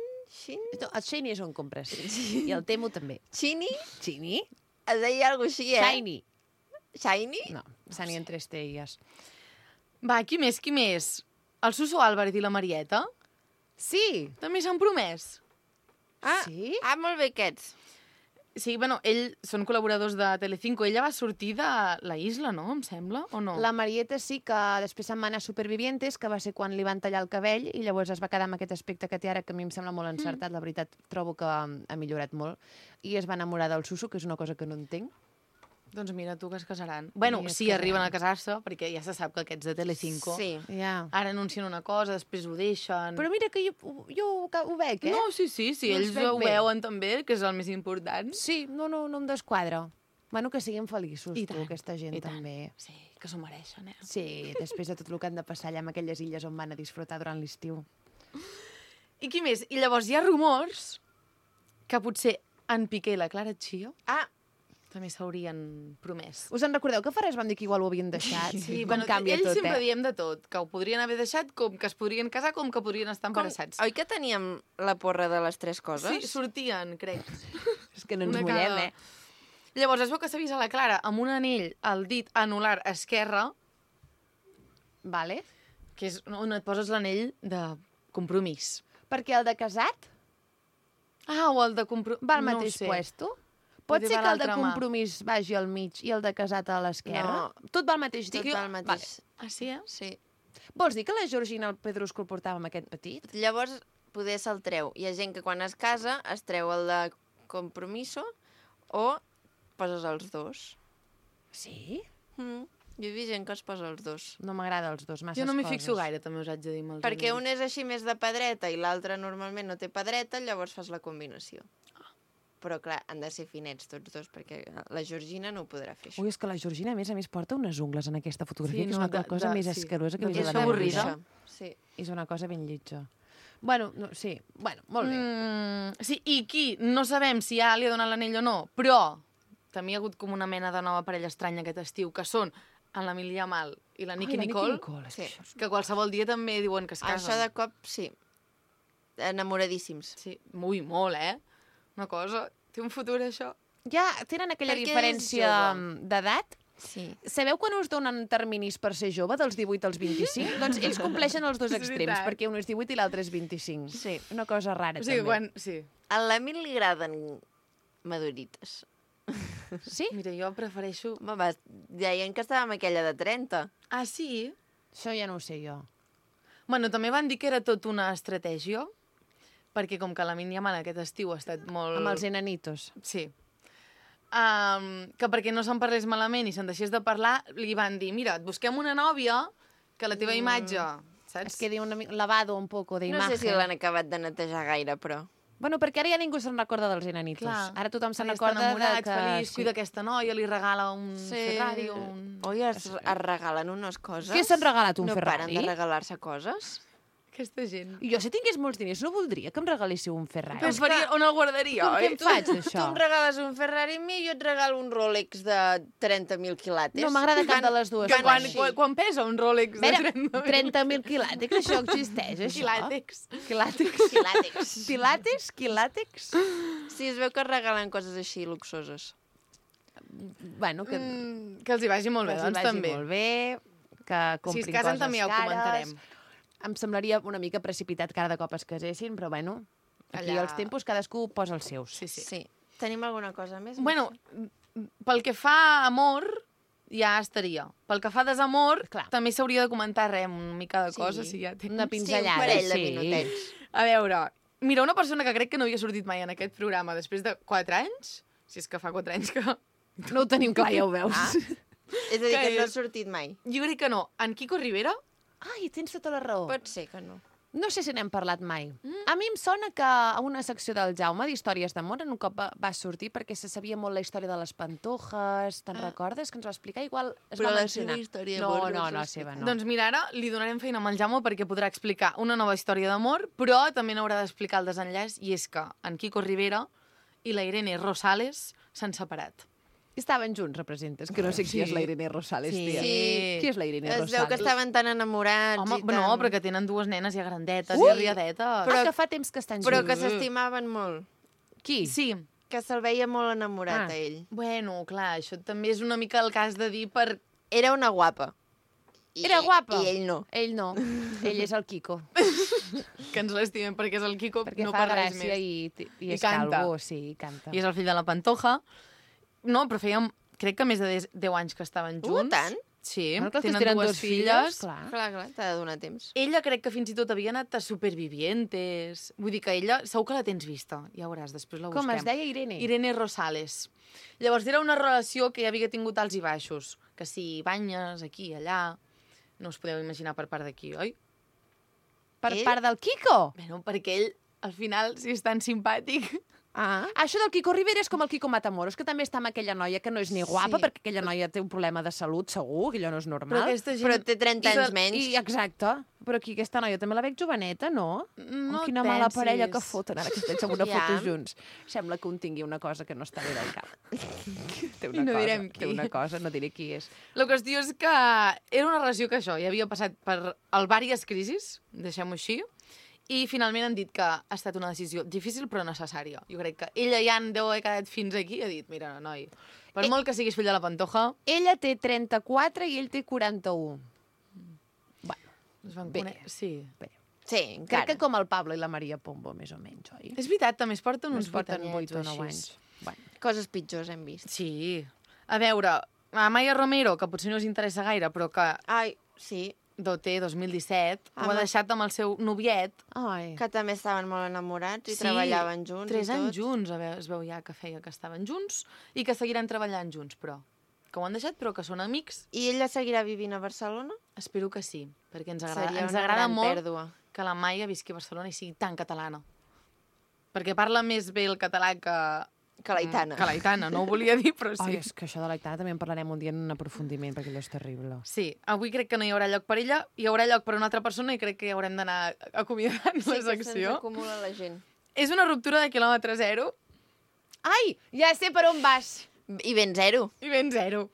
No, el Shiny és on compres. I el Temu també. Chini? Shiny? Es deia alguna cosa així, eh? Shiny. Shiny? No, Shiny en 3 T's. Va, qui més, qui més? El Suso Álvarez i la Marieta Sí! també s'han promès. Ah, Sí? ah, molt bé aquests. Sí, bueno, són col·laboradors de Telecinco. Ella va sortir de la Isla, no? Em sembla, o no? La Marieta sí que després se'n va anar a Supervivientes, que va ser quan li van tallar el cabell, i llavors es va quedar amb aquest aspecte que té ara, que a mi em sembla molt encertat. La veritat, trobo que ha millorat molt. I es va enamorar del Suso, que és una cosa que no entenc. Doncs mira, tu que es casaran. Bueno, Sí, es sí, casaran. arriben a casar-se, perquè ja se sap que aquests de Telecinco Sí. Ja. ara anuncien una cosa, després ho deixen... Però mira que jo ho veig, No, sí, No ells els veig ho bé. veuen també, que és el més important. Sí, no em desquadra. Bueno, que siguin feliços, I tu, tant, aquesta gent i tant. també. Sí, que s'ho mereixen, Sí, després de tot el que han de passar allà en aquelles illes on van a disfrutar durant l'estiu. I qui més? I llavors hi ha rumors que potser en Piqué i la Clara Chio Ah, també s'haurien promès. Us en recordeu que fa res vam dir que igual ho havien deixat? Com canvia ells tot, sempre eh? diem de tot, que ho podrien haver deixat, com que es podrien casar, com que podrien estar embarassats. oi que teníem la porra de les 3 coses? Sí, sortien, crec. És que no ens Una mullem, cada- eh? Llavors es veu que s'ha vist a la Clara amb un anell al dit anular esquerre, Vale. que és on et poses l'anell de compromís. Perquè el de casat Ah, o el de compromís... va al mateix puesto? Pot Potser ser va que el de l'altra mà. compromís vagi al mig i el de casat a l'esquerra? Tot va al mateix Tot dit? va al mateix. Ah, sí, eh? Sí. Vols dir que la Georgina el Pedrusco el portava amb aquest petit? Llavors, poder se'l treu. Hi ha gent que quan es casa es treu el de compromiso o poses els dos. Sí? Jo he vist gent que es posa els dos. No m'agrada els dos, masses Jo no m'hi coses. fixo gaire, també us haig de dir amb els Perquè anells. un és així més de pedreta i l'altre normalment no té pedreta, llavors fas la combinació. Però clar, han de ser finets tots dos, perquè la Georgina no ho podrà fer això. Ui, és que la Georgina, a més porta unes ungles en aquesta fotografia, Sí, que és no, una cosa més sí. escarosa que De he vist És a la meva avorrida. vida. Sí. És una cosa ben lletja. Bueno, no, sí, bueno, molt bé. Sí, i qui? No sabem si ja li ha donat l'anell o no, però també hi ha hagut com una mena de nova parella estranya aquest estiu, que són en l'Emilia Mal i la Nicki Nicole, Sí. que qualsevol dia també diuen que es casen. Això de cop, sí. Enamoradíssims. Sí, molt, eh? Una cosa... Té un futur, això. Ja tenen aquella Perquè és diferència jove. d'edat? Sí. Sabeu quan us donen terminis per ser jove, dels 18 als 25? Doncs ells compleixen els dos És extrems, veritat. perquè un és 18 i l'altre és 25. Sí. Una cosa rara, O sigui, també. quan... Sí. A l'Emil li agraden madurites. Sí? Mira, jo prefereixo... Home, va, deien que estava amb aquella de 30. Ah, sí? Això ja no ho sé jo. Bueno, també van dir que era tot una estratègia, perquè com que la Mínia Mal aquest estiu ha estat molt... Amb els enanitos. Sí. Que perquè no se'n parlés malament i se'n deixés de parlar, li van dir, mira, et busquem una nòvia que la teva imatge, saps? Es quedi lavado un poco de No imagen. sé si l'han acabat de netejar gaire, però... Bueno, perquè ara ja ningú se'n recorda dels enanitos. Clar. Ara tothom se'n Ara ja està recorda enamorat, de que... feliç, cuida aquesta noia, li regala un Ferrari o un... Oi, es regalen unes coses. Què s'han regalat, un no Ferrari? No paren de regalar-se coses. Aquesta gent. Jo, si tingués molts diners, no voldria que em regaléssiu un Ferrari. Però faria, on el guardaria, Com oi? que em faig, Tu d'això? em regales un Ferrari a mi i jo et regalo un Rolex de 30.000 quilates. No m'agrada cap de les dues. Que coses. quan pesa un Rolex de Mira, 30.000? 30.000 quilàtex, això existeix, això? Quilàtex. Quilàtex. Quilàtex. Pilates? Quilàtex? Sí, es veu que es regalen coses així luxoses. Bueno, que, Que els hi vagi molt bé, que els hi doncs vagi també. molt bé, que Si comprin es casen coses també ja ho cares. comentarem. Em semblaria una mica precipitat que cada cop es casessin, però bueno, aquí Allà- els tempos cadascú posa els seus. Sí, sí. Sí. Tenim alguna cosa més? Bueno, pel que fa a amor, ja estaria. Pel que fa a desamor, Clar. també s'hauria de comentar una mica de Sí. coses, si ja tens. Una Sí, un pinzellada, parell de sí. minutets. A veure, mira, una persona que crec que no havia sortit mai en aquest programa després de 4 anys, si és que fa 4 anys que... No ho tenim clar, ja ho veus. Ah. És a dir, Que que no ha és- sortit mai. Jo crec que no. En Quico Rivera, Ai, tens tota la raó. Pot ser que no. No sé si n'hem parlat mai. A mi em sona que a una secció del Jaume d'Històries d'amor en un cop va sortir perquè se sabia molt la història de les Pantojas. Te'n recordes? Que ens va explicar? Igual es Però va la mencionar. seva història no, d'amor no no, ens no, va la seva explicar. no. doncs mira, ara li donarem feina amb el Jaume perquè podrà explicar una nova història d'amor, però també n'haurà d'explicar el desenllaç, i és que en Quico Rivera i la Irene Rosales s'han separat. Estaven junts, representes, que no sé qui és la Irene Rosales, Sí. tia. Sí. Qui és la Irene Es Rosales? veu que estaven tan enamorats Home, i tan... no, però que tenen dues nenes ja grandetes Ui! i arriadetes. Però que fa temps que estan Però junts. que s'estimaven molt. Qui? Sí. Que se'l veia molt enamorat Ah. a ell. Bueno, clar, això també és una mica el cas de dir per... Era una guapa. Era guapa? I ell no. Ell no. Ell és el Quico. que ens l'estimem perquè és el Quico, Perquè no fa per res gràcia més. i I és canta. calvo, sí, i canta. I és el fill de la Pantoja. No, però fèiem, crec que més de 10 anys que estaven junts. Tant? Sí, Clar, que els que tenen dues filles. clar. Clar, t'ha de donar temps. Ella crec que fins i tot havia anat a Supervivientes. Vull dir que ella, segur que la tens vista. Ja veuràs, després la busquem. Com es deia, Irene? Irene Rosales. Llavors era una relació que ja havia tingut alts i baixos. Que si banyes aquí, allà... No us podeu imaginar per part d'aquí, oi? Per Ell? part del Kiko? Bueno, perquè ell, al final, si és tan simpàtic... Ah. Això del Kiko Rivera és com el Kiko Matamoros, que també està amb aquella noia que no és ni guapa, Sí. perquè aquella noia té un problema de salut, segur, que allò no és normal. aquesta gent... Però té 30 anys menys. Exacte. Però aquí aquesta noia també la veig joveneta, no? No Quina et mala pensis. parella que foten ara que estem amb una Ja. foto junts. Sembla que un tingui una cosa que no està bé del cap. té una I no cosa, direm té qui. una cosa, no diré qui és. La qüestió és que era una relació que això, ja havia passat per diverses crisis, deixem-ho així, i finalment han dit que ha estat una decisió difícil però necessària. Jo crec que ella ja en deu haver quedat fins aquí i ha dit, mira, noi, per molt que siguis fill de la Pantoja... Ella té 34 i ell té 41. Es van Bé. Sí. Bé. Sí, Crec encara. que com el Pablo i la Maria Pombo, més o menys, oi? És veritat, també es porten uns Ens porten 8 8 o anyets 9 o anys. així. Bueno. Coses pitjors hem vist. Sí. A veure, a Maya Romero, que potser no us interessa gaire, però que Ai, sí, d'OT 2017, ho ha Home. deixat amb el seu noviet. Ai. que també estaven molt enamorats i Sí, treballaven junts 3 i tot. anys junts, es veu ja que feia que estaven junts i que seguiran treballant junts, però que ho han deixat, però que són amics. I ella seguirà vivint a Barcelona? Espero que sí, perquè ens Seria agrada una gran molt pèrdua. que la Maia visqui a Barcelona i sigui tan catalana. Perquè parla més bé el català Que l'Aitana. Que l'Aitana, no ho volia dir, però Ai, sí. és que això de l'Aitana també en parlarem un dia en un aprofundiment, perquè allò és terrible. Sí, avui crec que no hi haurà lloc per ella, hi haurà lloc per una altra persona i crec que haurem d'anar acomiadant Sí, la que se'ns secció. acumula la gent. És una ruptura de quilòmetre zero Ai, ja sé per on vas. I ben zero. i ben zero.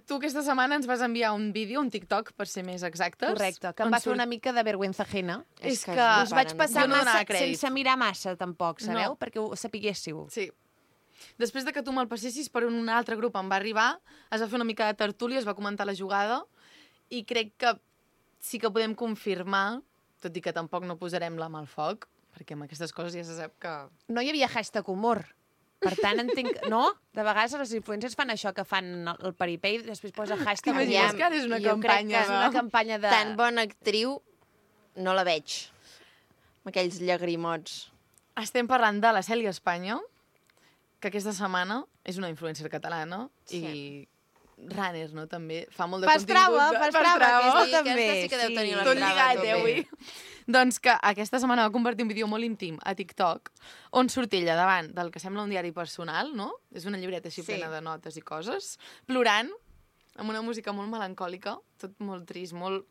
Tu aquesta setmana ens vas enviar un vídeo, un TikTok, per ser més exactes. Correcte, que em on va fer surt- una mica de vergüenza ajena. És que Us vaig passar Jo no donava massa, crèdit. sense mirar massa, tampoc, sabeu? No. Perquè ho sapiguéssiu. Sí. Després de que tu me'l passessis per un altre grup em va arribar, es va fer una mica de tertúlia, es va comentar la jugada, i crec que sí que podem confirmar, tot i que tampoc no posarem la mà al foc, perquè amb aquestes coses ja se sap que... No hi havia hashtag humor. Per tant, entenc... No? De vegades les influencers fan això, que fan el paripé i després posa hashtag T'imagines humor. que ara és una jo crec campanya que És una de... campanya de... Tan bona actriu no la veig. Amb aquells llagrimots. Estem parlant de la Cèlia Espanya, que aquesta setmana és una influencer catalana Sí. i runner, no? També fa molt de Pastrava, contingut. Pastrava, aquesta Sí, també. aquesta sí que deu tenir la Tot Pastrava, lligat, també. avui. Doncs que aquesta setmana va compartir un vídeo molt íntim a TikTok on surt ella davant del que sembla un diari personal, no? És una llibreta així Sí. plena de notes i coses, plorant, amb una música molt melancòlica, tot molt trist, molt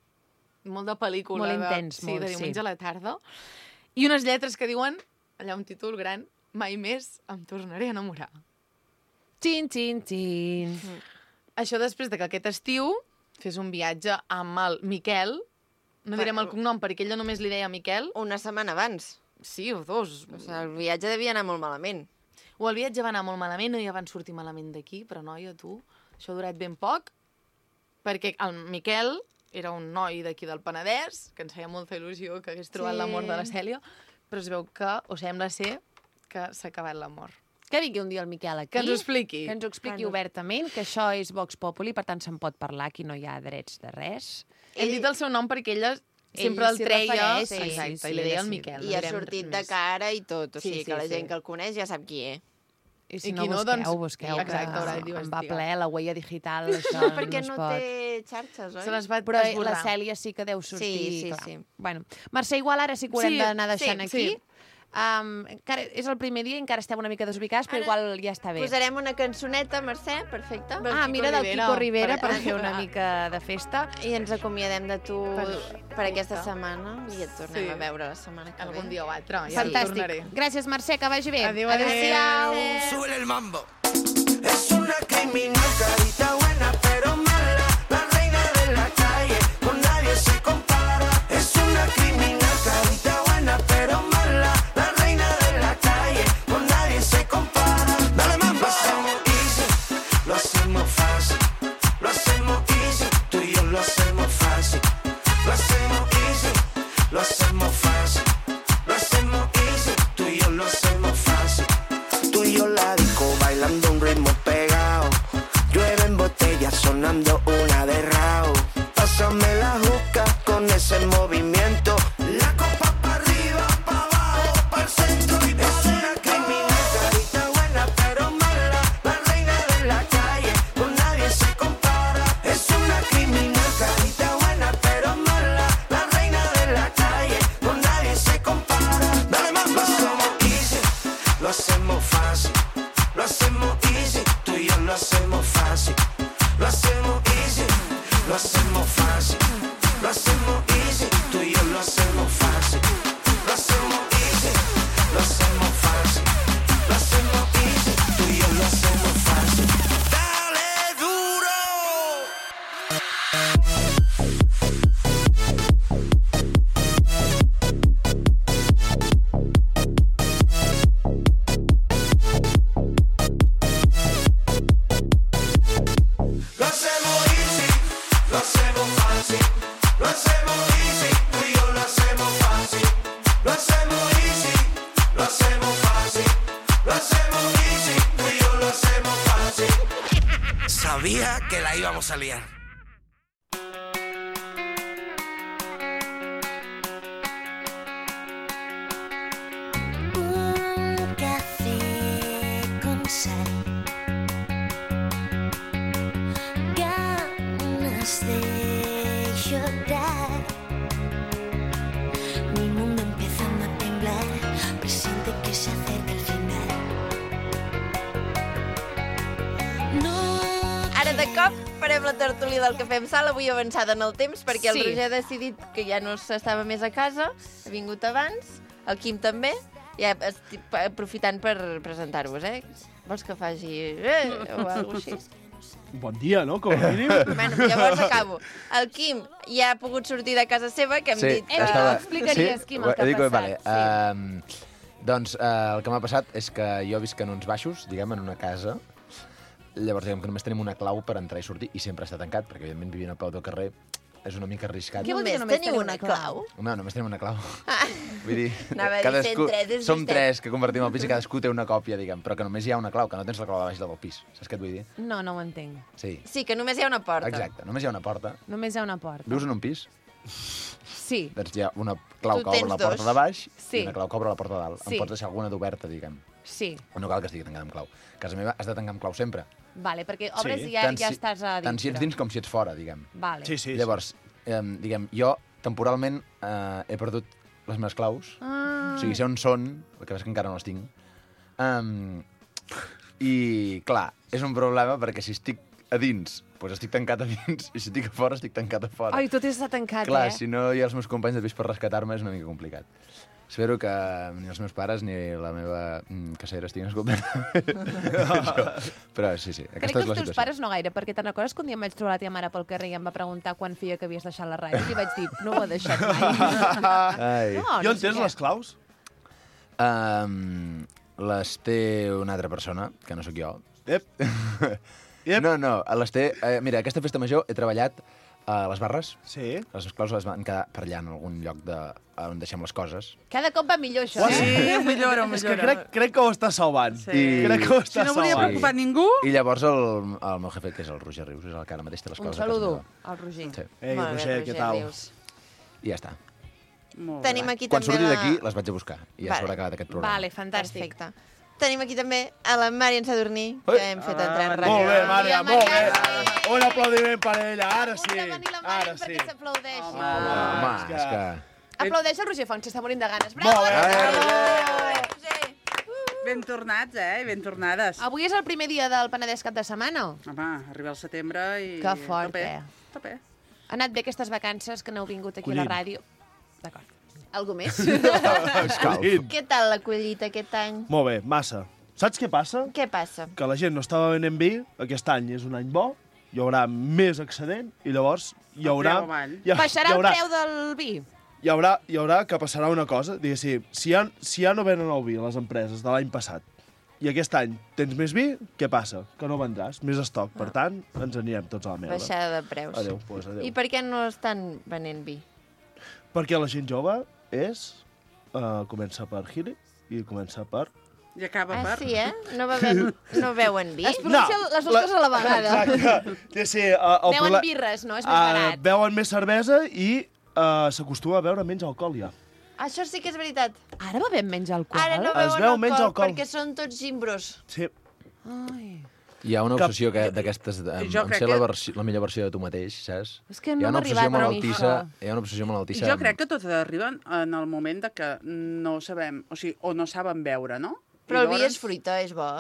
de pel·lícula. Molt intens, sí, molt, de diumenge sí. a la tarda. I unes lletres que diuen, allà un títol gran, mai més em tornaré a enamorar. Xin, xin, xin. Això després de que aquest estiu fes un viatge amb el Miquel, no direm el cognom perquè ella només li deia Miquel, Una setmana abans. sí, o dos. O sigui, el viatge devia anar molt malament. O el viatge va anar molt malament o ja van sortir malament d'aquí, però noia, tu, això ha durat ben poc, perquè el Miquel era un noi d'aquí del Penedès, que ens feia molta il·lusió que hagués trobat Sí. l'amor de la Cèlia, però es veu que, o sembla ser, que s'ha acabat l'amor. Que vingui un dia el Miquel aquí. Que ens ho expliqui. Que ens ho expliqui Bueno. obertament, que això és Vox Populi, per tant se'n pot parlar, aquí no hi ha drets de res. Hem dit el seu nom perquè ella sempre el s'hi treia, refereix, sí, exacte, sí, i li deia el sí. Miquel. I no ha direm sortit res de més. cara i tot. O Sí, sigui sí, que la sí. gent que el coneix ja sap qui és. I si I no, qui no, busqueu, doncs, busqueu. exacte, que haurà em va d'investigar. ple la huella digital, això Perquè no no es pot. té xarxes, oi? Se les va Però esborrar. la Cèlia sí que deu sortir. Sí, sí, clar. sí. Bueno, Mercè, igual ara sí que ho haurem Sí, d'anar deixant sí, aquí. sí. Encara és el primer dia i encara estem una mica desubicats, però Ara igual ja està bé. Posarem una cançoneta, Mercè, perfecte. Del Ah, Kiko mira, del Rivera, Kiko Rivera, per per fer una ajudar. mica de festa. I ens acomiadem de tu per aquesta Perfecte. setmana i et tornem Sí. a veure la setmana que ve. Algun dia o altre, ja hi Fantàstic. tornaré. Gràcies, Mercè, que vagi bé. Adéu, Adéu-siau. Sube el mambo. Es una criminal, carita buena, pero mala. La reina de la calle, con nadie se compara. Es una criminal, carita buena, pero mala. La reina de la calle, con nadie se compara. Dale mambo. Lo hacemos easy, lo hacemos fácil. Lo hacemos easy, tú y yo lo hacemos fácil. Lo hacemos easy, lo hacemos fácil. Lo hacemos easy, tú y yo lo hacemos fácil. Tú y yo la disco bailando un ritmo pegado. Llueve en botella. fácil. Lo hacemos easy, tú y yo lo hacemos fácil. Lo hacemos easy, lo hacemos fácil. Lo hacemos easy, tú y yo lo hacemos fácil. Lo hacemos easy, lo hacemos fácil. Lo hacemos easy, tú y yo lo hacemos fácil. Dale duro. Lo hacemos easy, lo hacemos fácil. Lo hacemos easy, tú y yo lo hacemos fácil. Lo hacemos easy, lo hacemos fácil. Lo hacemos easy, tú y yo lo hacemos fácil. Sabía que la íbamos a liar. Un café con sal, ganas de llorar. Mi mundo empezando a temblar, presiente que se acerca el final. No Ara de cop farem la tertúlia del Cafè amb Sal, avui avançada en el temps, perquè el Sí. Roger ha decidit que ja no s'estava més a casa, ha vingut abans, el Quim també, ja estic aprofitant per presentar-vos, eh? Vols que faci o alguna cosa així? Bon dia, no? Com a mínim. Bueno, llavors acabo. El Quim ja ha pogut sortir de casa seva, que hem dit... Ho explicaries, Quim, el que ha passat. Vale. Doncs el que m'ha passat és que jo visc en uns baixos, diguem, en una casa. Llavors, diguem que només tenim una clau per entrar i sortir i sempre està tancat, perquè, evidentment, vivint a peu del carrer és una mica arriscat. Què vol dir que Només només teniu teniu una una clau? No, només tenim una clau. Vull dir, Anava a dir, sent tres, és som vostè. tres que compartim el pis i cadascú té una còpia, diguem, però que només hi ha una clau, que no tens la clau de baix del pis. Saps què et vull dir? No, no ho entenc. Sí. Sí, que només hi ha una porta. Exacte, només hi ha una porta. Només hi ha una porta. Vius en un pis? Sí. Doncs hi ha una clau Tu que obre tens la porta dos. de baix Sí. i una clau que obre la porta de dalt. Sí. Em pots deixar alguna d'oberta, diguem. Sí. No cal que estigui tancada amb clau. A casa meva has de tancar amb clau sempre. Vale, perquè obres Sí. i ja estàs a dintre. Tant si ets dins com si ets fora, diguem. Vale. Sí, sí. Llavors, diguem, jo temporalment he perdut les meves claus. O sigui, sé on són, el que és que encara no les tinc. I, clar, és un problema perquè si estic a dins, doncs estic tancat a dins, i si estic a fora, estic tancat a fora. Ai, tot està tancat, Clar, eh? si no hi ha els meus companys de pis per rescatar-me és una mica complicat. Espero que ni els meus pares ni la meva casera estiguin escoltant això. Però sí, Crec aquesta que és la els teus situació. pares no gaire, perquè te'n recordes que un dia em vaig trobar la teva mare pel carrer i em va preguntar quan feia que havies deixat la ràdio? I li vaig dir, no ho he deixat mai. Ai. No, Jo no sé entens què. les claus? Les té una altra persona, que no sóc jo. Ep. Yep. No, les té... mira, aquesta festa major he treballat a les barres. Sí. Les claus les van quedar per allà en algun lloc on deixem les coses. Cada cop va millor, això, Sí, eh? ho millora, ho És que millora. crec que ho està salvant. Sí. Crec que ho Si està no volia salvant. preocupar ningú... I llavors el meu jefe, que és el Roger Rius, és el que ara mateix té les Un coses a casa saludo meva. al Roger. Sí. Ei, Molt bé, Roger, què tal? Rius. I ja està. Molt bé. Tenim aquí Quan també surti d'aquí, les vaig a buscar. I ja Vale. s'haurà acabat aquest programa. Vale, fantàstic. Perfecte. Tenim aquí també a la Màrian Sadurní, que hem fet entrar en ràdio. Molt bé, Mària, Bon dia, molt bé. Mària. Un aplaudiment per ella, ara sí. Hagut de venir la Ara Màrian sí. perquè s'aplaudeixi. Home, és que... Aplaudeix el Roger Font, s'està morint de ganes. Bravo! Molt bé. Roger! Ben tornats, ben tornades. Avui és el primer dia del Penedès cap de setmana. Home, arriba el setembre i... Que fort, Tope, eh? tope. Ha anat bé aquestes vacances que n'heu vingut aquí a la Collint. ràdio. D'acord. Algú més? Escalf. Què tal la collita aquest any? Molt bé, massa. Saps què passa? Què passa? Que la gent no estava venent vi, aquest any és un any bo, hi haurà més excedent i llavors hi haurà... preu avall. Baixarà el preu del vi? Hi haurà que passarà una cosa, diguéssim, si ja no venen el vi a les empreses de l'any passat i aquest any tens més vi, què passa? Que no vendràs, més estoc. Per tant, ens anirem tots a la merda. Baixada de preus. Adéu, doncs adéu. I per què no estan venent vi? Perquè la gent jove comença per Gili i comença per... I acaba Ah, per... sí, eh? No beuen vi? Es pronuncien les dues coses a la vegada. Exacte. Sí, el Beuen birres, no? És més barat. Beuen més cervesa i s'acostuma a beure menys alcohol, ja. Això sí que és veritat. Ara bevem menys alcohol? Ara no Es beuen veu menys alcohol. perquè són tots gimbros. Sí. Ai. Hi ha una obsessió d'aquestes Jo en crec ser que- la millor versió de tu mateix, saps? És que Hi no ha m'ha una obsessió arribat a mi, malaltissa, això. hi ha una obsessió I malaltissa. jo crec que tots arriben en el moment de que no sabem, o sigui, o no saben veure, no? Però el vi llavors- és fruita, és bo.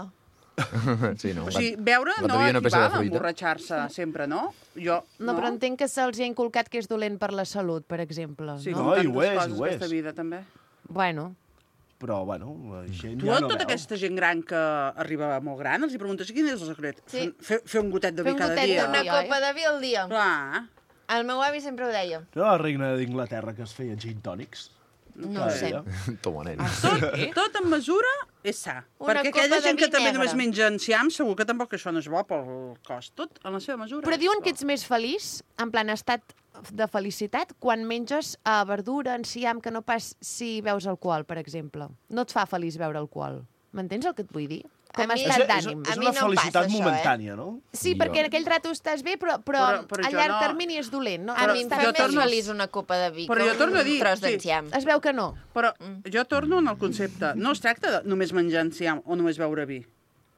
Sí, no? O sigui, beure L'altre no dia una peça de equival a fruita. emborratxar-se sempre, no? Jo, No, però entenc que se'ls ha inculcat que és dolent per la salut, per exemple. Sí, no? com No, i tantes ho és, coses ho és. d'aquesta vida, també. Bueno, Però, bueno, la gent Tu ja a no tota veu. aquesta gent gran que arriba molt gran, els hi preguntes quin és el secret? Sí. Fer un gotet de Fer vi un cada gotet de dia. vi. Una copa de vi al dia. Clar. El meu avi sempre ho deia. No era la reina d'Inglaterra que es feia gin tònics? No ho sé. Toma, nen. Tot en mesura és sa. Una Perquè copa aquella de gent que vi també negre. només menja enciam, segur que tampoc això no és bo pel cos. Tot en la seva mesura. però diuen que ets més feliç, en plan estat de felicitat, quan menges verdura, enciam, que no pas si veus alcohol, per exemple. No et fa feliç beure alcohol. M'entens el que et vull dir? Com a mi- estat És d'ànim. A és mi una no em felicitat passa això, momentània, no? Sí, Jo. perquè en aquell rato estàs bé, però Però a jo llarg no. termini és dolent. No? A mi em Estàs fa jo més torno- feliç una copa de vi Però que jo torno a dir, un tros sí. d'enciam. Es veu que no. Però jo torno en el concepte. No es tracta de només menjar enciam o només beure vi.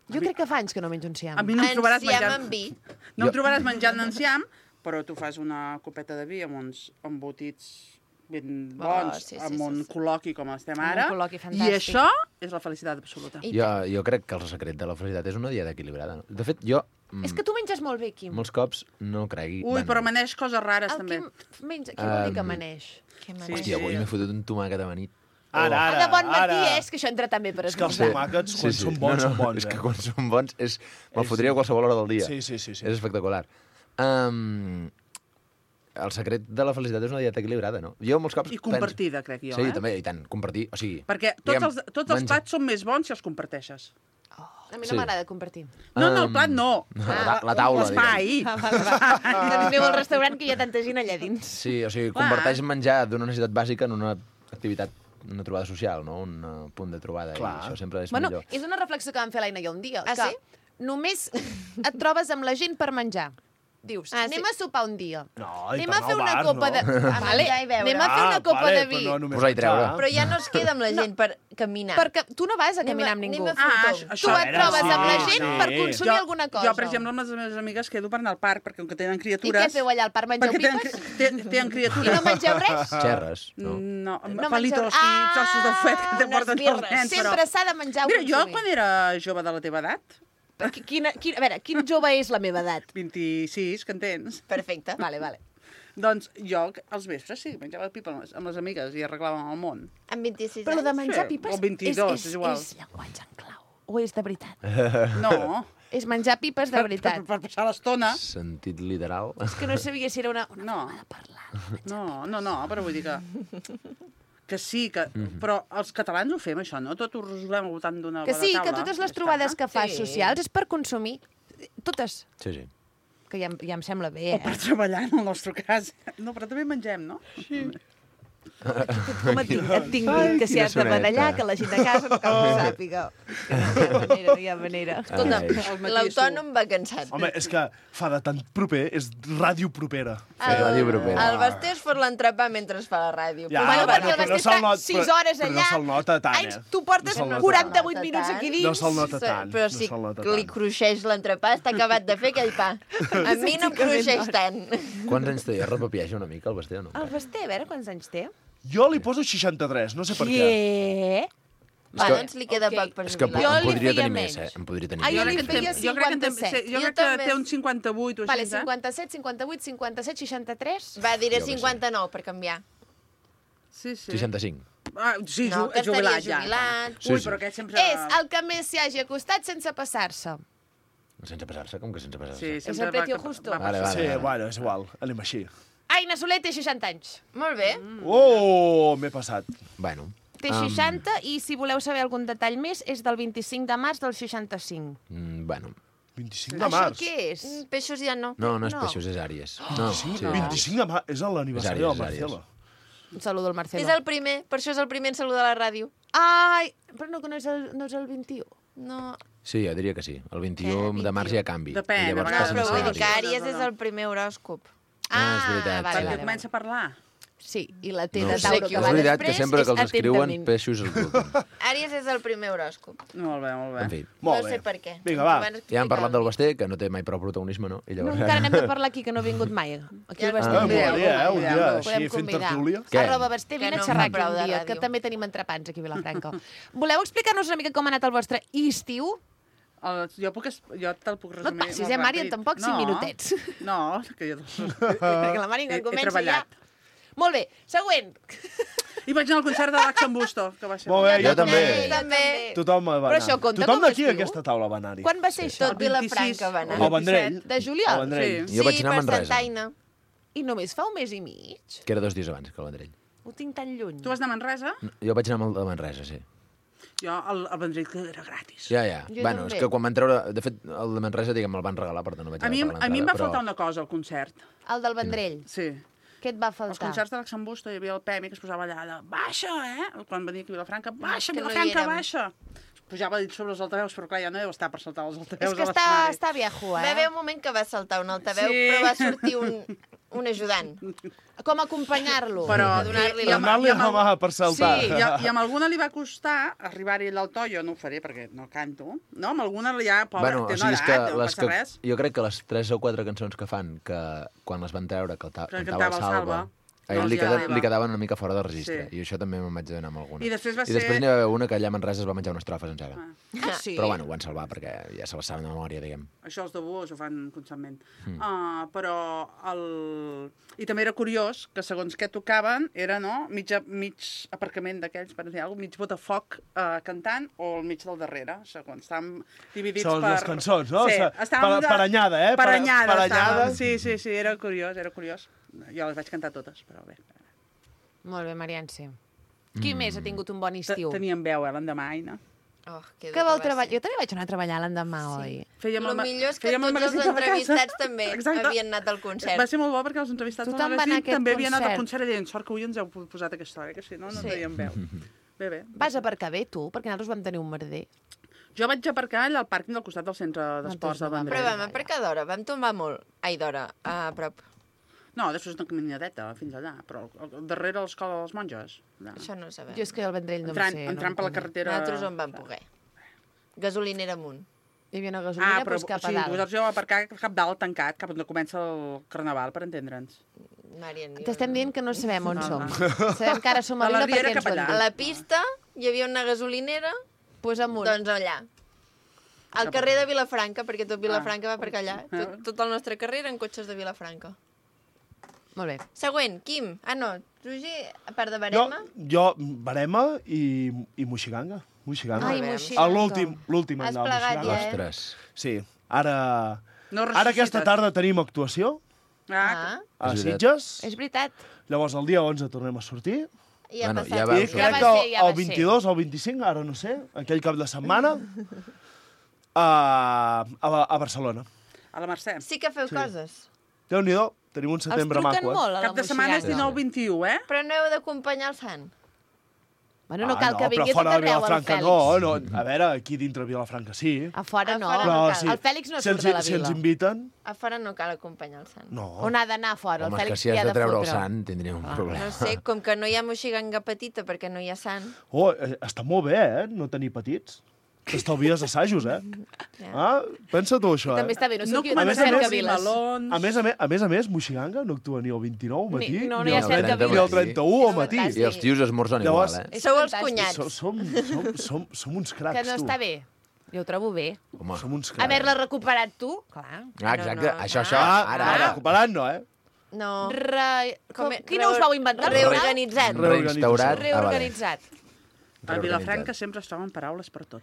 Jo crec que fa anys que no menjo enciam. A mi no em trobaràs Enciam menjant... amb vi. No em trobaràs menjant enciam, però tu fas una copeta de vi amb uns embotits ben bons, sí, sí, amb sí, un sí. col·loqui com estem Amb un ara. col·loqui I fantàstic. això és la felicitat absoluta. I Jo crec que el secret de la felicitat és una dieta equilibrada. No? De fet, jo És que tu menges molt bé, Quim. molts cops no cregui... Ui, però maneix coses rares, El també. Quim menja... Què vol dir que maneix? Que Sí, maneix. Hòstia, avui m'he fotut un tomàquet amanit. Ara, ara, de bon matí, ara. és que això entra també per És que els esmorzar. tomàquets, quan són bons, són bons, És que eh? quan són bons, me'l fotria a qualsevol hora del dia. Sí, sí, sí, sí. És espectacular. El secret de la felicitat és una dieta equilibrada, no? Jo molts cops I compartida, crec jo, Sí, eh? també, i tant, compartir. O sigui, Perquè tots els plats són més bons si els comparteixes. A mi Sí. no m'agrada compartir. No, el plat no. La taula, L'espai. Aneu al restaurant que hi ha tanta gent allà dins. Sí, o sigui, Clar. converteix menjar d'una necessitat bàsica en una activitat, una trobada social, no? Un punt de trobada. Clar. I això sempre és Bueno, millor. és una reflexió que vam fer l'Aina i jo un dia. Ah, que sí? només et trobes amb la gent per menjar. Dius, Ah, anem sí. a sopar un dia. No, i Anem per a anar fer al una bar, copa no. de... menjar i beure. Anem a fer una copa de vi. Però no només Posar i treure. menjar. Però ja no es queda amb la gent per caminar. Perquè tu no vas a caminar amb Anem ningú. a fer un tomb. Tu et trobes amb la sí, gent sí. per consumir alguna cosa. Jo, per exemple, amb les meves amigues quedo per anar al parc, perquè com que tenen I criatures... què feu allà al parc? Mengeu Perquè tenen, pipes? tenen I criatures. no mengeu res? Xerres, no? No, No palitos mengeu- i trossos de fuet que te unes porten els birres. nens, però... Sempre s'ha de menjar o Mira, jo consumir. quan era jove de la teva edat, A veure, quin jove és la meva edat? 26, que en tens, Perfecte. Vale, vale. doncs jo als vespres sí, menjava pipa amb les amigues i arreglàvem el món. Amb 26 Però de anys. menjar Sí, pipes o 22, és igual. és llenguatge en clau. O és de veritat? No, És menjar pipes de veritat. per passar l'estona. Sentit literal. És que no sabia si era una No. forma de parlar. No, però vull dir que sí, que, però els catalans ho fem, això, no? Tot ho resolem al voltant d'una Que bona sí, taula. que totes les Ja trobades està. que fas Sí. socials és per consumir. Totes. Sí, sí. Que ja em sembla bé, O per treballar, en el nostre cas. No, però també mengem, no? Sí. Com et tinc dit que si quina has de badallar, soneta. que la gent de casa no cal que sàpiga. No hi ha manera. Escolta, Ai. l'autònom va cansat. Home, és que fa de tan proper, és ràdio propera. Ràdio propera. El Basté es fot l'entrepà mentre es fa la ràdio. Ja, Bueno, bueno, perquè el però no Basté se'l està not- 6 però- hores però no allà. se'l nota tant, Ai, eh? tu portes No se'l nota 48 tant. minuts aquí dins. No se'l nota tant. Però no si se'l nota li tant. cruixeix l'entrepà, està acabat de fer aquell pa. A mi no em cruixeix tant. Quants anys té? Es repapiaja una mica el Basté o no? El Basté, a veure quants anys té. Jo li poso 63, no sé per què. Què? Va, que- doncs li queda Ok. poc per És que jubilar. Jo em li podria feia tenir més, menys. eh? Em podria tenir Ah, jo més. li feia Jo crec que, 57. jo Jo crec que també. té un 58 o Vale, així, 57, 58, 57, 63. Va, diré Jo què sé. 59 per canviar. Sí, sí. 65. Ah, sí, No, que jubilat estaria ja. jubilat. Sí, Ui, sí. però aquest sempre... És el que més s'hi hagi acostat sense passar-se. Sense passar-se? Com que sense passar-se? Sí, És sempre el precio justo. Vale, vale. Sí, bueno, és igual, anem així. Aina Soler té 60 anys. Molt bé. Oh, m'he passat. Bueno. Té 60 i, si voleu saber algun detall més, és del 25 de març del 65. Bueno. 25 de Això març. què és? Peixos ja no. No, no és No. peixos, és àries. No, sí. 25 de març, és l'aniversari del És àries, és Marcelo. Un saludo al És Marcelo. el primer, per això és el primer en saludar a la ràdio. Ai, però no, que no és el 21. No, Sí, jo diria que sí. El 21 de març hi ha canvi. Depèn, I llavors a no vegades passen però a vull ser dir que àries. Àries és el primer horòscop. Ah, és veritat, vale, Perquè vale, comença a parlar. Sí, i la T de No sé Tauro qui que ho va És veritat després que sempre que els és escriuen, atentament. peixos els bruten. Àries és el primer horòscop. Molt bé, molt bé. En fi, Molt no bé. sé per què. Vinga, va. Abans ja hem parlat del explicava-li. Basté, que no té mai prou protagonisme, no? I No, llavors... encara n'hem de parlar aquí, que no ha vingut mai. Aquí al Basté. Ah, Convideu-lo, molaria, un dia convideu-lo. així Podem fent convidar. tertúlia. Què? Arroba Basté, Que vine no a xerrar em fa prou aquí de un dia, ràdio. que també tenim entrepans aquí a Vilafranca. Voleu explicar-nos una mica com ha anat el vostre estiu? Jo te'l puc No et resumir. passis, molt Mari, ràpid. tampoc 5 minutets. No, que jo... Perquè la Mari He que comença ja... treballat. Molt bé, següent. I vaig anar al concert de l'Axen Busto, que va ser... Molt bé, jo també. També. Tothom va anar. Però això compta Tothom com a d'aquí estiu? a aquesta taula va anar-hi. Quan va ser això? Tot Vilafranca va anar. Al Vendrell. De juliol? Al Vendrell. Sí. Jo vaig anar a per Manresa, Santa Aina. I només fa un mes i mig? que era 2 dies abans que el Vendrell. Ho tinc tan lluny. Tu vas anar a Manresa? Jo vaig anar amb el de Manresa, sí. Jo, al Vendrell, que era gratis. Ja. Jo Bueno, també. és que quan van treure... De fet, el de Manresa, diguem, me'l van regalar, per tant no vaig A mi pagar em va l'entrada, faltar una cosa al concert. El del Vendrell. Sí. Què et va Als faltar? concerts de l'Axen Busto hi havia el Pemi que es posava allà de baixa, Quan venia aquí a Vilafranca, baixa, que no hi Vilafranca, érem. baixa. Pujava dit sobre els altaveus, però clar, ja no deu estar per saltar els És altaveus que a l'escenari. està viejo, Va haver eh? un moment que va saltar un altaveu, Sí. però va sortir un ajudant. Com acompanyar-lo? Però A donar-li i la amb- Donar-li i amb la el- mà per saltar. Sí, i amb alguna li va costar arribar-hi al to, jo no ho faré perquè no canto, no? Amb alguna ja, pobra, Bueno, té o una sigui, és que, edat, no les passa que res. jo crec que les 3 o 4 cançons que fan, que quan les van treure, que Però cantava el Salva, a ell no li, els hi agrada. li quedaven una mica fora de registre. Sí. I això també me'n vaig adonar amb alguna. I després va I després ser- n'hi va haver una que allà a Manresa es va menjar una estrofa sencera. Ah, sí? Però bueno, ho van salvar perquè ja se la saben de memòria, diguem. Això els de Buos ho fan constantment. Però I també era curiós que segons què tocaven era, no?, mig aparcament d'aquells, per dir alguna cosa, mig botafoc cantant o al mig del darrere, segons estàvem dividits Segons per... les cançons, no? Sí, O sigui, estàvem paranyada, eh? Paranyada, Paranyada. estàvem. Sí, era curiós, era curiós. Jo les vaig cantar totes, però bé. Molt bé, Marianse. Qui més ha tingut un bon estiu? Teníem veu, l'endemà, Aina. Oh, Que vol treballar? Jo també vaig anar a treballar l'endemà, oi? Fèiem El ma- millor és que fèiem el tots els magazín de la casa. entrevistats també Exacte. havien anat al concert. Va ser molt bo perquè els entrevistats Tothom del va anar a magazín aquest també havien anat al concert. concert i deien sort que avui ens heu posat aquesta hora, que si no, no Sí. teníem veu. Bé. Vas aparcar bé, tu? Perquè nosaltres vam tenir un merder. Jo vaig aparcar allà al pàrquing del costat del centre d'esports de no vam Vendrell. Però vam aparcar d'hora, vam tombar molt. Ai, d'hora, a prop. No, després una caminadeta fins allà, però darrere l'escola de les monges. Allà. Això no ho sabem. Jo és que el Vendrell no Entrant, em sé. entrant per la carretera... Nosaltres on vam poder. Gasolinera amunt. Hi havia una gasolina, doncs cap a dalt. vosaltres jo vam aparcar cap dalt tancat, cap on comença el carnaval, per entendre'ns. Marian, T'estem dient que no sabem on No, som. no. Sabem que ara som a De la Vila Riera perquè ens cap ho han allà. A dit. la pista hi havia una gasolinera, Pues amunt. doncs allà. Al carrer de Vilafranca, perquè tot Vilafranca va per allà. Tot el nostre carrer eren cotxes de Vilafranca. Molt bé. Següent, Quim. Ah, no, Roger, a part de Jo, Barema. Barema i Moixiganga. Moixiganga. Ai, bé. Moixiganga. L'últim Has any del plegat Moixiganga. ja, Ostres. Sí, ara... No Ara aquesta ressuscites. tarda tenim actuació Ah, a És veritat. Sitges. És veritat. Llavors el dia 11 tornem a sortir. i ha Bueno, passat. ja va- I Ja crec va que ser, ja va el 22 o el 25, ara no sé, aquell cap de setmana, a Barcelona. A la Mercè. Sí que feu coses. Déu-n'hi-do, tenim un Els setembre truquen maco, molt, a la Cap de setmana és Moixiganga. 19-21, Però no heu d'acompanyar el sant. Bueno, no cal que vingui a tot però fora de arreu, el Vilafranca Fèlix. no. A veure, aquí dintre de Vilafranca sí. A fora no. A fora Però cal. sí, El Fèlix no si surt ens, de la si ens vila. inviten, A fora no cal acompanyar el sant. no. On ha d'anar a fora? Home, El és que Fèlix si hi has ha de de treure el fotre. sant, tindria un problema. No sé, com que no hi ha moixiganga petita perquè no hi ha sant. Oh, està molt bé, no tenir petits. T'estalvies assajos, Ah, pensa tu això, També està bé, no sé No qui a més no a cerca més, viles. melons... A més, Moixiganga no actua ni el 29 al matí, No, ni hi ha el cerca 30 ni el viles. 31 al matí. fantàstic. I els tios esmorzen Llavors- igual, És Sou els fantàstic. cunyats. Som uns cracs, Que no tu. està bé. Jo ho trobo bé. Home. Som uns cracs. Haver-la recuperat tu, clar. Ah, exacte, No, no, això, Ara, ara. recuperant no, No. Quina us vau inventar? Reorganitzat. Reinstaurat. Reorganitzat. A Vilafranca sempre es troben paraules per tot.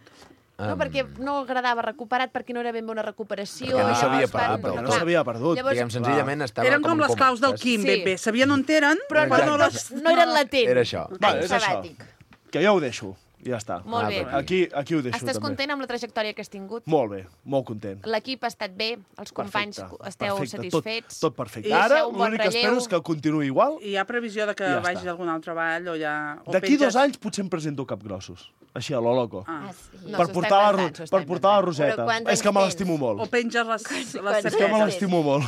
No, perquè no agradava recuperat, perquè no era ben bé una recuperació. Perquè no llavors s'havia van- perdut del Perquè no tot. s'havia perdut. Llavors- Diguem, senzillament estava Eren com les claus del compactes. Quim, Sí. ben bé. Sabien on eren, Però però no les... no eren latents. Era això. Va, Any és això. sabàtic. Que ja ho deixo. Ja està. Molt bé. Aquí ho deixo, Estàs també. content amb la trajectòria que has tingut? Molt bé, molt content. L'equip ha estat bé? Els companys Perfecte, esteu perfecte. satisfets? Tot perfecte. I Ara deixeu un bon l'únic que espero relleu. és que continuï igual. I hi ha previsió de que Ja vagi està. a algun altre ball o ja... o D'aquí penges- 2 anys potser em presento capgrossos. Així, a lo loco. Ah. Ah, sí. No, per s'ho portar, està la, inventant, s'ho per està portar la inventant. Roseta. Però quants És que anys me tens? l'estimo molt. O penges les Quants És que me anys l'estimo molt.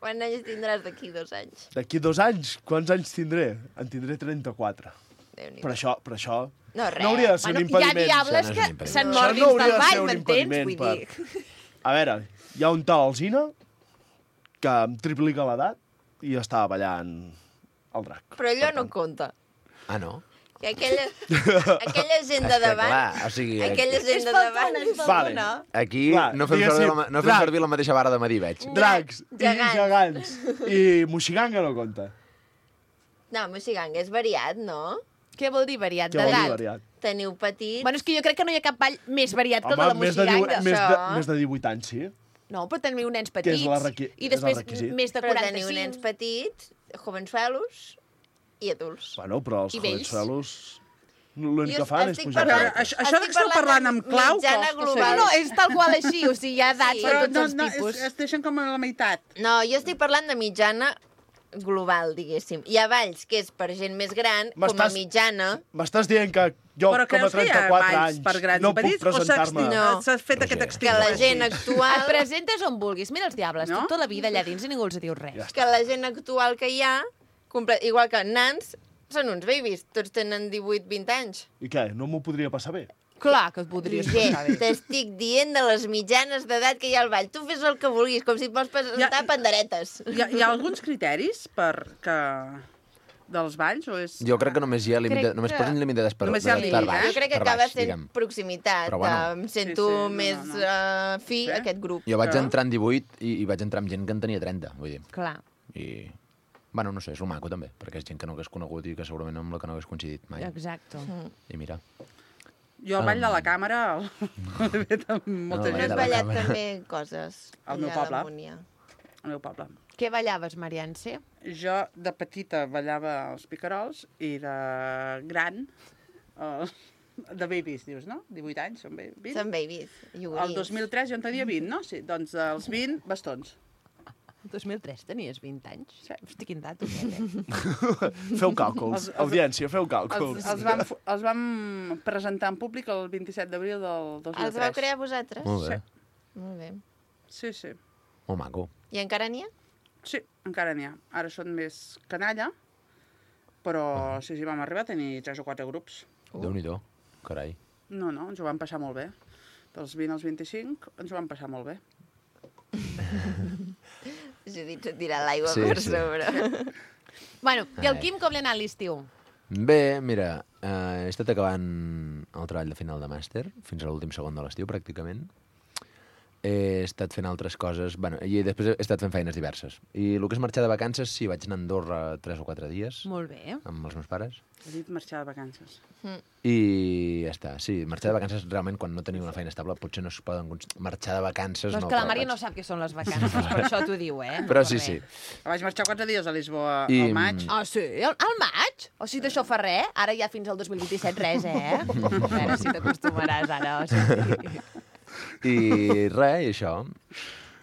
Quants anys tindràs d'aquí 2 anys? D'aquí 2 anys, quants anys tindré? En tindré 34. Déu-n'hi-do. Per això No, res. no hauria de ser un Hi ha impediment. diables Això no és un que impediment. se'n Això mordin no hauria del de ser ball, un m'entens? impediment Vull per- dir... A veure, hi ha un tal Alzina que em triplica l'edat i estava ballant el drac. Però allò no compta. Ah, no? Que aquella gent de davant... clar, o sigui, aquella gent de davant... Vale. aquí Va, no fem, diguéssim, servir no fem drac. servir la mateixa vara de medir, veig. Dracs Gegants. i gegants. I Moixiganga no compta. No, Moixiganga és variat, no? Què vol dir variat? Què vol dir D'edat? variat? Teniu petits... Bueno, és que jo crec que no hi ha cap ball més variat que el de la Home, més de, Moixiganga. més de 18 anys, sí. No, però teniu nens Que és petits. la I després és el requisit. més de Però 45. teniu nens petits, jovensuelos i adults. Bueno, però els I vells. jovensuelos l'únic Jo que fan és estic pujar. Però parlant- això estic que esteu parlant parlant de amb clau mitjana costa global. No, ser. no, és tal qual així, o sigui, hi ha edats Sí. de Però tots els tipus. es deixen com a la meitat. No, jo estic parlant de mitjana global, diguéssim. Hi ha balls que és per gent més gran, com a M'estàs- mitjana. M'estàs dient que jo, Però com a creus que hi ha 34 balls anys, per grans no i puc petits? O presentar-me... No. s'ha fet No aquest sé. extrem? Que la gent Et actual... presentes on vulguis. Mira els diables, No? tota la vida allà dins i ningú els diu res. Ja Que la gent actual que hi ha, igual que nans, són uns babies. Tots tenen 18-20 anys. I què, no m'ho podria passar bé? Clar que et podries Gent, passar bé. t'estic dient de les mitjanes d'edat que hi ha al ball. Tu fes el que vulguis, com si et vols presentar panderetes. Hi ha alguns criteris dels balls? O és... Jo crec que només hi ha límit, Crec només que- posen límit d'edat per, Només hi ha per límit, baix. eh? Jo crec que per acaba baix, sent diguem. proximitat. Però bueno. Em sento Sí, sí, no, més no. fi Sí? a aquest grup. Jo vaig Però- entrar en 18 i vaig entrar amb gent que en tenia 30, vull dir. Clar. I, bueno, no sé, és lo maco també, perquè és gent que no hagués conegut i que segurament amb la que no hagués coincidit mai. Exacte. I mira. Jo al ball de la càmera l'he fet amb molta No, No gent has la ballat càmera. també coses Al meu allà a poble. la Múnia? al meu poble. Què ballaves, Mariance? Jo de petita ballava els picarols i de gran, de babies, dius, no? 18 anys, són 20? Són babies, El iogurins. 2003 jo en tenia 20, no? Sí, doncs dels 20, bastons. El 2003 tenies 20 anys? Hosti, quin dato, aquell, Feu càlculs. Audiència, feu càlculs. Els vam presentar en públic el 27 d'abril del 2003. Els vau crear vosaltres? Molt bé. Molt bé. Sí, sí. Molt maco. I encara n'hi ha? Sí, encara n'hi ha. Ara són més canalla, però sí, vam arribar a tenir 3 o 4 grups. Déu-n'hi-do. Carai. No, ens ho vam passar molt bé. Dels 20 als 25 ens ho vam passar molt bé. Judit s'ha tirat l'aigua Sí, per sí. sobre. Bueno, i el Ai. Quim com li ha anat l'estiu? Bé, mira, he estat acabant el treball de final de màster, fins a l'últim segon de l'estiu, pràcticament. He estat fent altres coses, bueno, i després he estat fent feines diverses. I el que és marxar de vacances, sí, vaig anar a Andorra 3 o 4 dies Molt bé. amb els meus pares. He dit marxar de vacances. I ja està, sí, marxar de vacances realment quan no teniu una feina estable potser no es poden marxar de vacances. Però és no, que la però Maria vaig- no sap què són les vacances, per això t'ho diu, eh? Però per sí, res. sí. Vaig marxar 4 dies a Lisboa I- al maig. Ah, sí? Al maig? O sigui, d'això fa res? Ara ja fins al 2027 res, eh? A veure si t'acostumaràs ara. O sigui... I res, i això.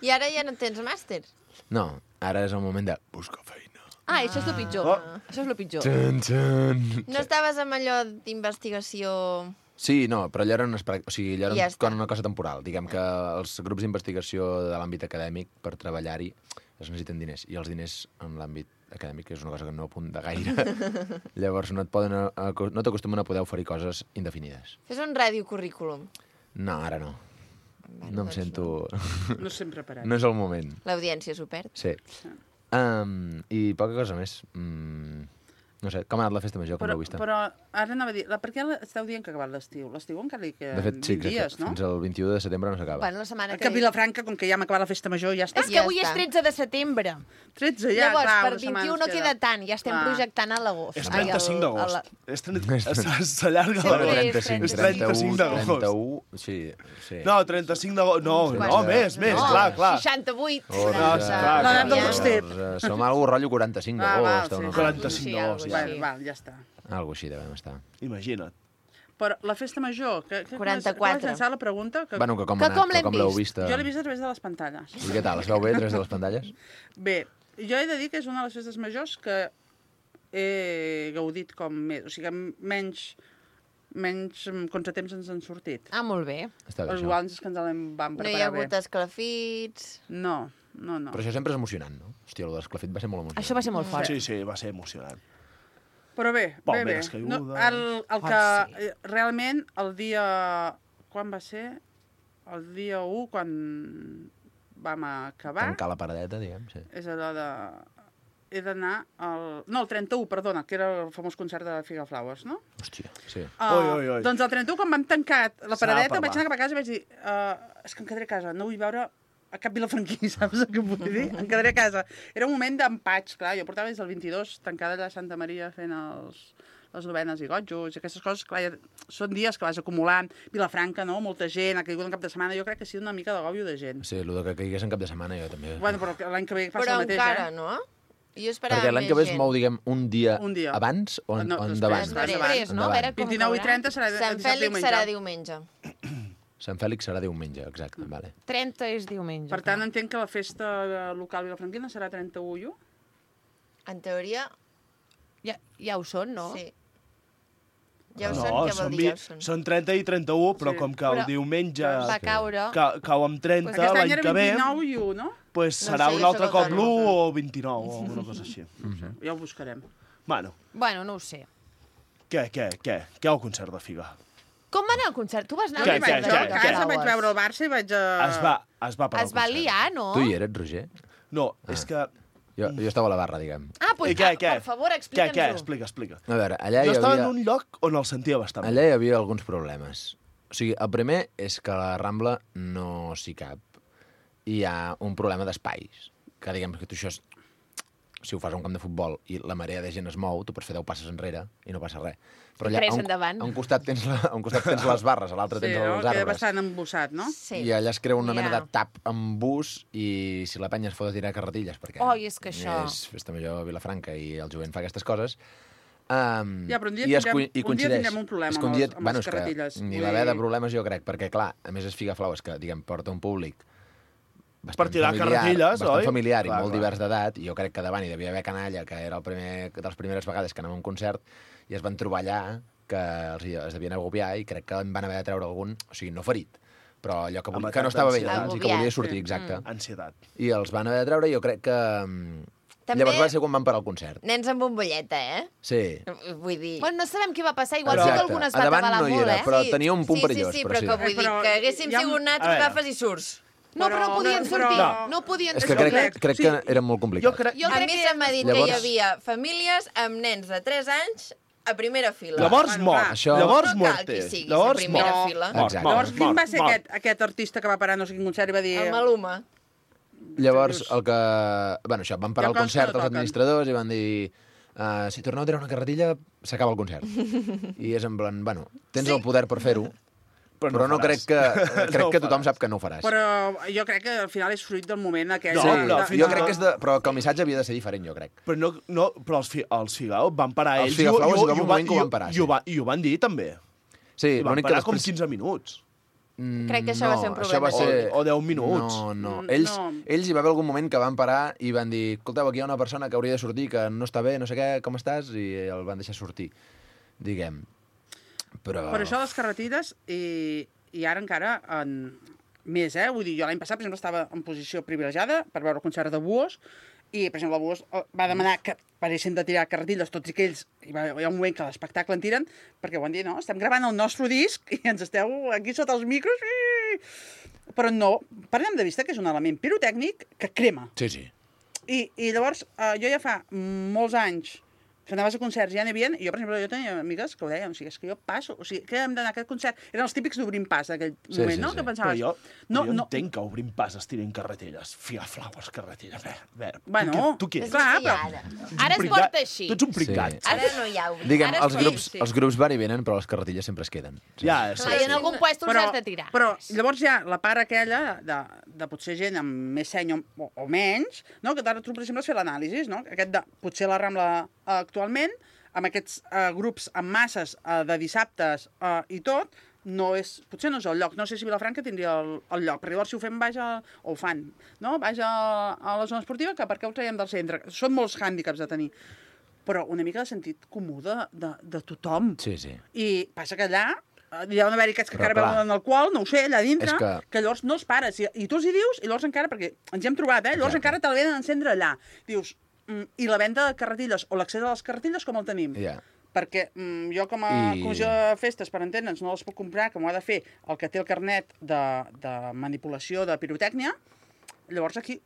I ara ja no tens màster? No, ara és el moment de buscar feina. Ah, això és el pitjor. Oh. Això és el pitjor. Tun, tun. No estaves amb allò d'investigació... Sí, no, però allò era o sigui, allò era Ja està. una cosa temporal. Diguem que els grups d'investigació de l'àmbit acadèmic, per treballar-hi, es necessiten diners. I els diners en l'àmbit acadèmic és una cosa que no apunta gaire. Llavors no t'acostumen a poder oferir coses indefinides. Fes un radiocurrículum. No, ara no. No em doncs sento... No estem preparats. No és el moment. L'audiència s'ho perd. Sí. I poca cosa més. No sé, com ha anat la festa major, com l'heu vista? Però ara anava a dir, per què esteu dient que ha acabat l'estiu? L'estiu encara li queden De fet, sí, 20 crec dies, que no? fins al 21 de setembre no s'acaba. Bueno, la setmana Que a Vilafranca, com que ja hem acabat la festa major, ja està. És que Ja avui és està. 13 de setembre. 13 ja, Llavors, clar, per una setmana 21 no ens queda tant, ja estem Clar. projectant a l'agost. És Ai, 35 a d'agost. la- S'allarga Sí, la però hora. és 35, 35 d'agost. 31, sí, sí. No, 35 d'agost. No, Uns no, quants. més, No, clar. 68. Orza, clar, L'edat del clar. bastet. Som algú rotllo 45 d'agost. sí. o no? 45 d'agost, ja. Val, ja està. Algo així devem estar. Imagina't. Però la festa major, que 44. Com has llançat la pregunta? Que... Bueno, que com, Que ha anat, com que l'hem com l'heu vist? vist. Jo l'he vist a través de les pantalles. I què tal, es veu bé a través de les pantalles? Bé, jo he de dir que és una de les festes majors que he gaudit com més, o sigui, menys menys contratemps ens han sortit. Ah, molt bé. Està bé, això. Igual és que ens en vam No hi ha preparar bé. hagut esclafits... No. Però això sempre és emocionant, no? Hòstia, el de l'esclafit va ser molt emocionant. Això va ser molt fort. Sí, va ser emocionant. Però bé. Palmeres caigudes. No, el que realment el dia... Quan va ser? El dia 1, quan vam acabar. Tancar la paradeta, diguem, sí. És allò de... He d'anar al... No, el 31, perdona, que era el famós concert de Figaflowers, no? Hòstia, sí. Oi. Doncs el 31, quan vam tancar la paradeta, parlar. vaig anar cap a casa i vaig dir és que em quedaré a casa, no vull veure a cap vilafranquí, saps què vull dir? Em quedaré a casa. Era un moment d'empatx, clar, jo portava des del 22 tancada allà a Santa Maria fent les novenes i gotjos i aquestes coses, clar, són dies que vas acumulant. Vilafranca, no? Molta gent, ha caigut en cap de setmana, jo crec que ha sigut una mica d'agòbio de gent. Sí, el que caigués en cap de setmana jo també. Bueno, però l'any que ve passa Però el mateix, encara, no? Jo esperava Perquè l'any que ve es mou, diguem, un dia abans o No, endavant? Després, no? A veure com 29 i 30 serà Sant Fèlix serà diumenge. Sant Fèlix serà diumenge, exacte, vale. 30 és diumenge. Per tant, entenc que la festa local vilafranquina serà 31. En teoria, Ja ho són, no? sí. Ja ho No, són, què vol dir ja ho són? són 30 i 31, però Sí. com que el Però diumenge va caure. cau amb 30 Aquest any l'any era que ve, 29 i 1, no? pues No serà sé, un jo altre sóc cop el l'1 o 29 o alguna cosa així. Ja ho buscarem. Bueno, Bueno, no ho sé. què el concert de Figa? Com va anar el concert? Tu vas anar Què, al concert què, de Jo a casa Figaflowers? vaig veure el Barça i vaig... Es va parar Es va liar, no? Tu hi eres, Roger? No, és que... Jo estava a la barra, diguem. Ah, I doncs, què? per favor, Què? explica'ns-ho. Explica. A veure, allà hi Jo estava havia... en un lloc on el sentia bastant. Allà hi havia alguns problemes. O sigui, el primer és que a la Rambla no s'hi cap. I hi ha un problema d'espais. Que diguem que tu això... Si ho fas a un camp de futbol i la marea de gent es mou, tu pots fer 10 passes enrere i no passa res. Però allà, 3 endavant. a un costat tens les barres, a l'altre Sí, tens no? els Queda arbres. bastant embossat, no? Sí. I allà es crea una mena Ja. de tap amb bus i si la penya es fot a tirar carretilles, perquè Oi, és que això... és festa major a Vilafranca i el jovent fa aquestes coses. Ja, però un dia tindrem un problema amb les carretilles. Ni va haver de problemes, jo crec, perquè, clar, a més és Figaflowers, que, diguem, porta un públic Per tirar carretilles, bastant oi? familiar i Clar, molt clar. divers d'edat, i jo crec que davant hi devia haver canalla, que era de les primeres vegades que anava a un concert, i es van trobar allà que es devien agobiar, i crec que en van haver de treure algun, o sigui, no ferit, però allò que no estava bé, Agobiat, i que volia sortir, sí. exacte. Ansietat. I els van haver de treure, i jo crec que... També- Llavors va ser quan van parar el concert. Nens amb bombolleta, Sí. Vull dir... Bueno, no sabem què va passar. Igual Exacte. sí que algun es A va davant atabalar no hi molt, era, eh? però tenia un punt sí, perillós. Sí, però sí. però que vull dir Però que haguéssim hi ha- sigut A natos, veure. agafes i surts. No, però no podien sortir. No. No podien És que sortir. crec Sí. que era molt complicat. Jo crec... Jo A crec mi que se m'ha dit que Llavors- hi havia famílies amb nens de 3 anys a primera fila. Llavors Bueno, mort. va. Això- Llavors No cal que muerte. siguis Llavors a primera mort. fila. Mort, Exacte. mort, Llavors, quin va ser mort. aquest artista que va parar no sé quin concert i va dir... El Maluma. Llavors, el que... Bueno, això, van parar Hi ha el coses que concert no els toquen. administradors i van dir si torneu a tirar una carretilla, s'acaba el concert. I és en plan, bueno, tens el poder per fer-ho, però no crec faràs. que No ho tothom faràs. sap que no ho faràs. Però jo crec que al final és fruit del moment aquell... No, Sí, però al jo final- crec que però que el missatge havia de ser diferent, jo crec. Però els Figao van parar Els ells Figaflowers hi va i un moment que ho van parar, I ho van dir, també. Sí, I van l'únic que parar com després... 15 minuts. Crec que això va ser un Això va problema. ser... O 10 minuts. No. Mm, Ells no. hi va haver algun moment que van parar i van dir escolteu, aquí hi ha una persona que hauria de sortir, que no està bé, no sé què, com estàs? I el van deixar sortir, diguem. Però... Per això les carretilles i ara encara més, Vull dir, jo l'any passat, per exemple, estava en posició privilegiada per veure el concert de Buos i, per exemple, el Buos va demanar que paressin de tirar carretilles tots i que ells, hi ha un moment que l'espectacle en tiren, perquè ho van dir, no, estem gravant el nostre disc i ens esteu aquí sota els micros, però no, perdem de vista que és un element pirotècnic que crema. Sí, sí. I llavors, jo ja fa molts anys que anaves a concerts, ja n'hi havia, i jo, per exemple, jo tenia amigues que ho deien, o sigui, és que jo passo, o sigui, que hem d'anar a aquest concert. Eren els típics d'obrim pas d'aquell moment, no? Que Però pensaves... jo no, entenc que obrim pas es tirin carretilles. Figaflowers, carretilles. Bueno, tu què ets? clar, però... Ara es porta així. Tu ets un pringat. Sí. Ara no hi ha obrir. Diguem, Ara els es grups, pot. els grups van i venen, però les carretilles sempre es queden. Sí. Ja, sí, Clar, i en algun puesto els has de tirar. Però llavors hi ha la part aquella de potser gent amb més seny o menys, no? Que ara tu, per exemple, has fet l'anàlisi, no? Aquest de potser la Rambla actualment, amb aquests grups amb masses de dissabtes i tot, potser no és el lloc. No sé si Vilafranca tindria el lloc, perquè llavors si ho fem ho fan, no? Baix a la zona esportiva, que per què ho traiem del centre? Són molts hàndicaps a tenir. però una mica de sentit comú de tothom. Sí, sí. I passa que allà hi ha d'haver-hi aquests que Però, encara clar, veuen alcohol, no ho sé, allà dintre, és que llavors no els pares. I tu els hi dius, i llavors encara, perquè ens hi hem trobat, llavors Exacte. encara te la venen a encendre allà. Dius, i la venda de carretilles, o l'accés a les carretilles, com el tenim? Ja. Perquè jo com a comissió de festes, per entendre'ns, no les puc comprar, com ho ha de fer el que té el carnet de manipulació de pirotècnia, llavors aquí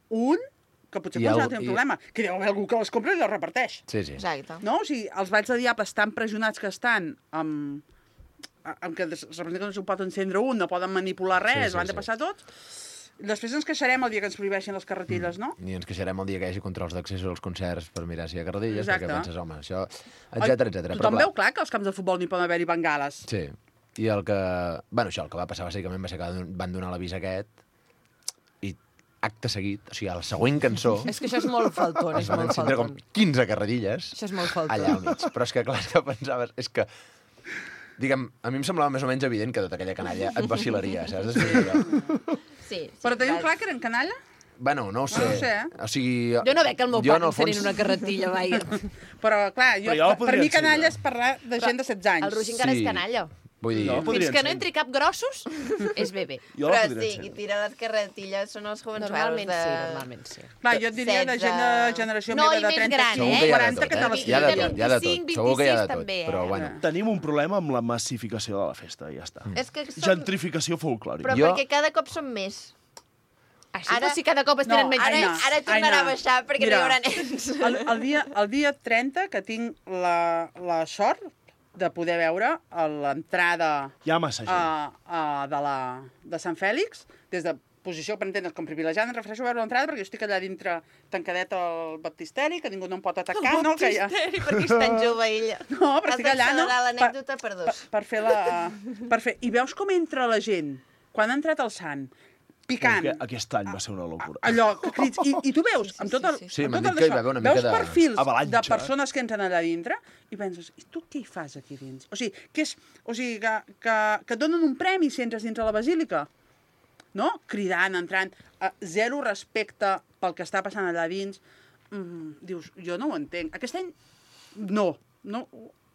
que potser pot tenir un problema, que hi deu haver algú que les compra i les reparteix. Sí, sí. Exacte. No? O sigui, els balls de diables tan pressionats que estan amb que representa que no se'n pot encendre un, no poden manipular res, ho han de passar tots. Després ens queixarem el dia que ens prohibeixin les carretilles, no? I ens queixarem el dia que hi hagi controls d'accés als concerts per mirar si hi ha carretilles, Exacte. perquè penses, home, això... Etcètera, etcètera. Tothom veu clar que als camps de futbol n'hi poden haver-hi bengales. Sí. I el que... Bueno, això, el que va passar bàsicament va ser que van donar l'avís aquest i acte seguit, o sigui, a la següent cançó... És que això és molt faltón, és es van molt encendre com faltón. 15 carretilles Això és molt faltón. allà al mig. Però és que, clar, és que pensaves... És que, diguem, a mi em semblava més o menys evident que tota aquella canalla et vacilaria, saps? Sí. Però tenim clar que eren canalla? Bueno, no ho sé. No ho sé, O sigui... Jo no veig el meu jo, pare en el fons- encenent una carretilla, vaja. Però, clar, Però jo la per podria mi canalla encendre. és parlar de gent de 16 anys. El Roger encara Sí. és canalla. Vull dir... Jo la podria Fins que no encendre. entri cap grossos, és bebè. Jo la Però podria sí, qui encendre. tira les carretilles són els jovensuelos Normalment de... sí, normalment sí. Clar, jo et diria de gent de generació No, meva i de més 35, gran, Segur que hi ha de 40, tot, que te eh? les Hi ha de tira. tot, hi ha de tot. 25, Segur que hi ha de 26 tot, també, però eh? bueno. Tenim un problema amb la massificació de la festa, i ja està. És que som... Gentrificació folclòrica. Però Jo- perquè cada cop són més. Així Ara- ara... si cada cop es tenen menys Ara, nens. ara tornarà a baixar perquè Mira, no hi haurà nens. El dia 30, que tinc la sort de poder veure l'entrada Hi ha massa gent. de Sant Fèlix, des de posició, per entendre's, com privilegiada, em refereixo a veure l'entrada perquè jo estic allà dintre tancadet al baptisteri, que ningú no em pot atacar, no? Que ja... Perquè és tan jove ella. No, però Has estic allà, no? d'accelerar l'anècdota per dos. Per fer per fer... I veus com entra la gent, quan ha entrat el sant, picant. Aquest any va ser una locura. Allò, que crits, i tu veus, amb tot el... Sí, amb m'han tot dit que hi va això, haver una mica veus de perfils avalanxa. de persones que entren allà dintre i penses, i tu què hi fas aquí dins? O sigui, que et donen un premi si entres dintre la basílica. No? Cridant, entrant, zero respecte pel que està passant allà dins. Dius, jo no ho entenc. Aquest any, no,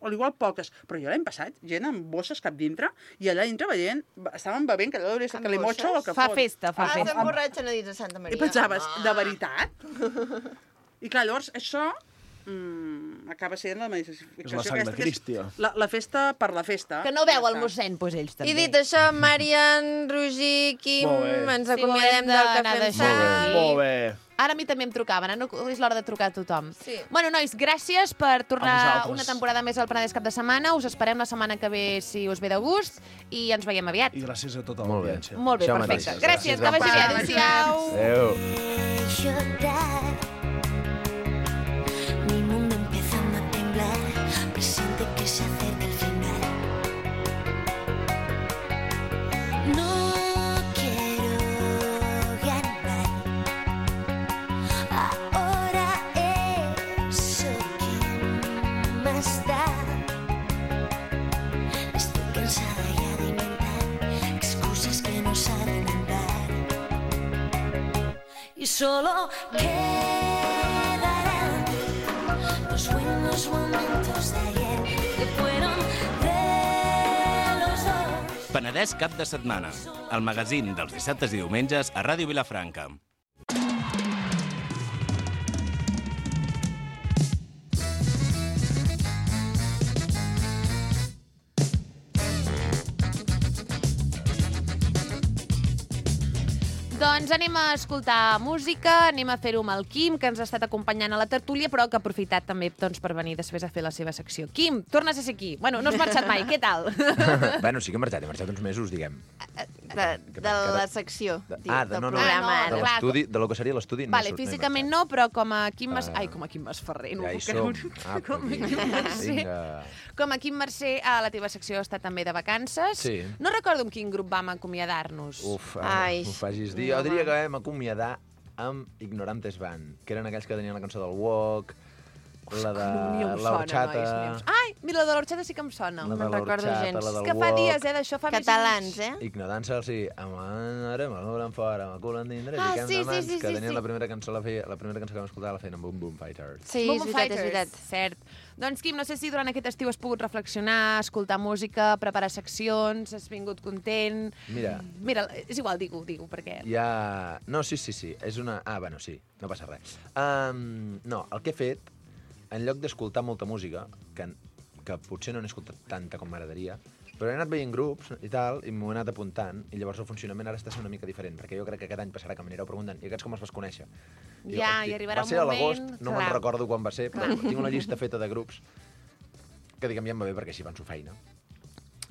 o igual poques, però jo l'any passat, gent amb bosses cap dintre, i allà dintre veient, estaven bevent, que allò hauria de ser Amb calimocho o el que Fa fot. festa, fa Ah, festa. s'emborratxen a dins de Santa Maria. I pensaves, de veritat? I clar, llavors, això acaba sent la manifestació. És la sang de aquesta, que és Cristi. La festa per la festa. Que no veu el Ja està. mossèn, doncs ells també. I dit això, Marian, Roger, Quim, Molt bé. ens Sí, acomiadem ho hem del d'anar Cafè amb deixant. Sal. Molt bé. Ara a mi també em trucaven, ara no és l'hora de trucar a tothom. Sí. Bueno, nois, gràcies per A tornar vosaltres. una temporada més al Penedès Cap de Setmana. Us esperem la setmana que ve, si us ve de gust, i ens veiem aviat. I gràcies a tota Molt bé. l'audiència. Molt bé, Això perfecte. mateix. Gràcies, que vagi bé. Apa. Adéu-siau. Adéu. Llorar. Mi mundo empezando a temblar, presiente que se acerca el final. No quiero ganar. Ahora eso que más da. Estoy cansada ya de inventar excusas que no saben andar. Y solo quedarán los buenos momentos de ayer que fueron de los dos. Penedès Cap de Setmana, el magazín dels dissabtes i diumenges a Ràdio Vilafranca. Doncs anem a escoltar música, anem a fer-ho amb el Quim, que ens ha estat acompanyant a la tertúlia, però que ha aprofitat també per venir després a fer la seva secció. Quim, tornes a ser aquí. Bueno, no has marxat mai, què tal? Bueno, sí que he marxat uns mesos, diguem. De la secció, del no, programa. De clar. l'estudi, de lo que seria l'estudi, no Vale, he físicament marxat. no, però com a Quim Mas... Ah. Ai, com a Quim Masferrer, no Ja ho hi puc som. creure. Ah, Com a vinga. Quim Mercè. Vinga. Com a Quim Mercè, a la teva secció està també de vacances. Sí. No recordo amb quin grup vam acomiadar-nos. Uf, Ai, m'ho facis dir. Jo diria que vam acomiadar amb Ignorantes Band, que eren aquells que tenien la cançó del Walk. La de Ni em sona, l'horchata. nois, ni em sona. Ai, mira, la de l'horchata sí que em sona. La No de me'n recordo l'horchata, gens. la És del que fa wok. dies, d'això fa més Catalans, anys. eh? Ignorància, sí. Amarem el volen fora, amb el cul endindre, Ah, fiquem sí, de mans, sí, que sí, tenien sí. la primera cançó que vam escoltar la feien amb Boom Boom Fighters. Sí, Boom és Boom veritat, és veritat. Cert. Doncs, Quim, no sé si durant aquest estiu has pogut reflexionar, escoltar música, preparar seccions, has vingut content... Mira, és igual, digue-ho, perquè... ja... No, sí. És una... Ah, bueno, sí, no passa res. No, el que he fet, en lloc d'escoltar molta música, que potser no n'he escoltat tanta com m'agradaria, però he anat veient grups i tal, i m'ho he anat apuntant, i llavors el funcionament ara està sent una mica diferent, perquè jo crec que aquest any passarà que m'anireu preguntant, i aquests com els vas conèixer? I Ja, hosti, i arribarà va un ser a moment, l'agost, no me'n clar. recordo quan va ser, però tinc una llista feta de grups que, diguem, ja em va bé perquè així van su feina.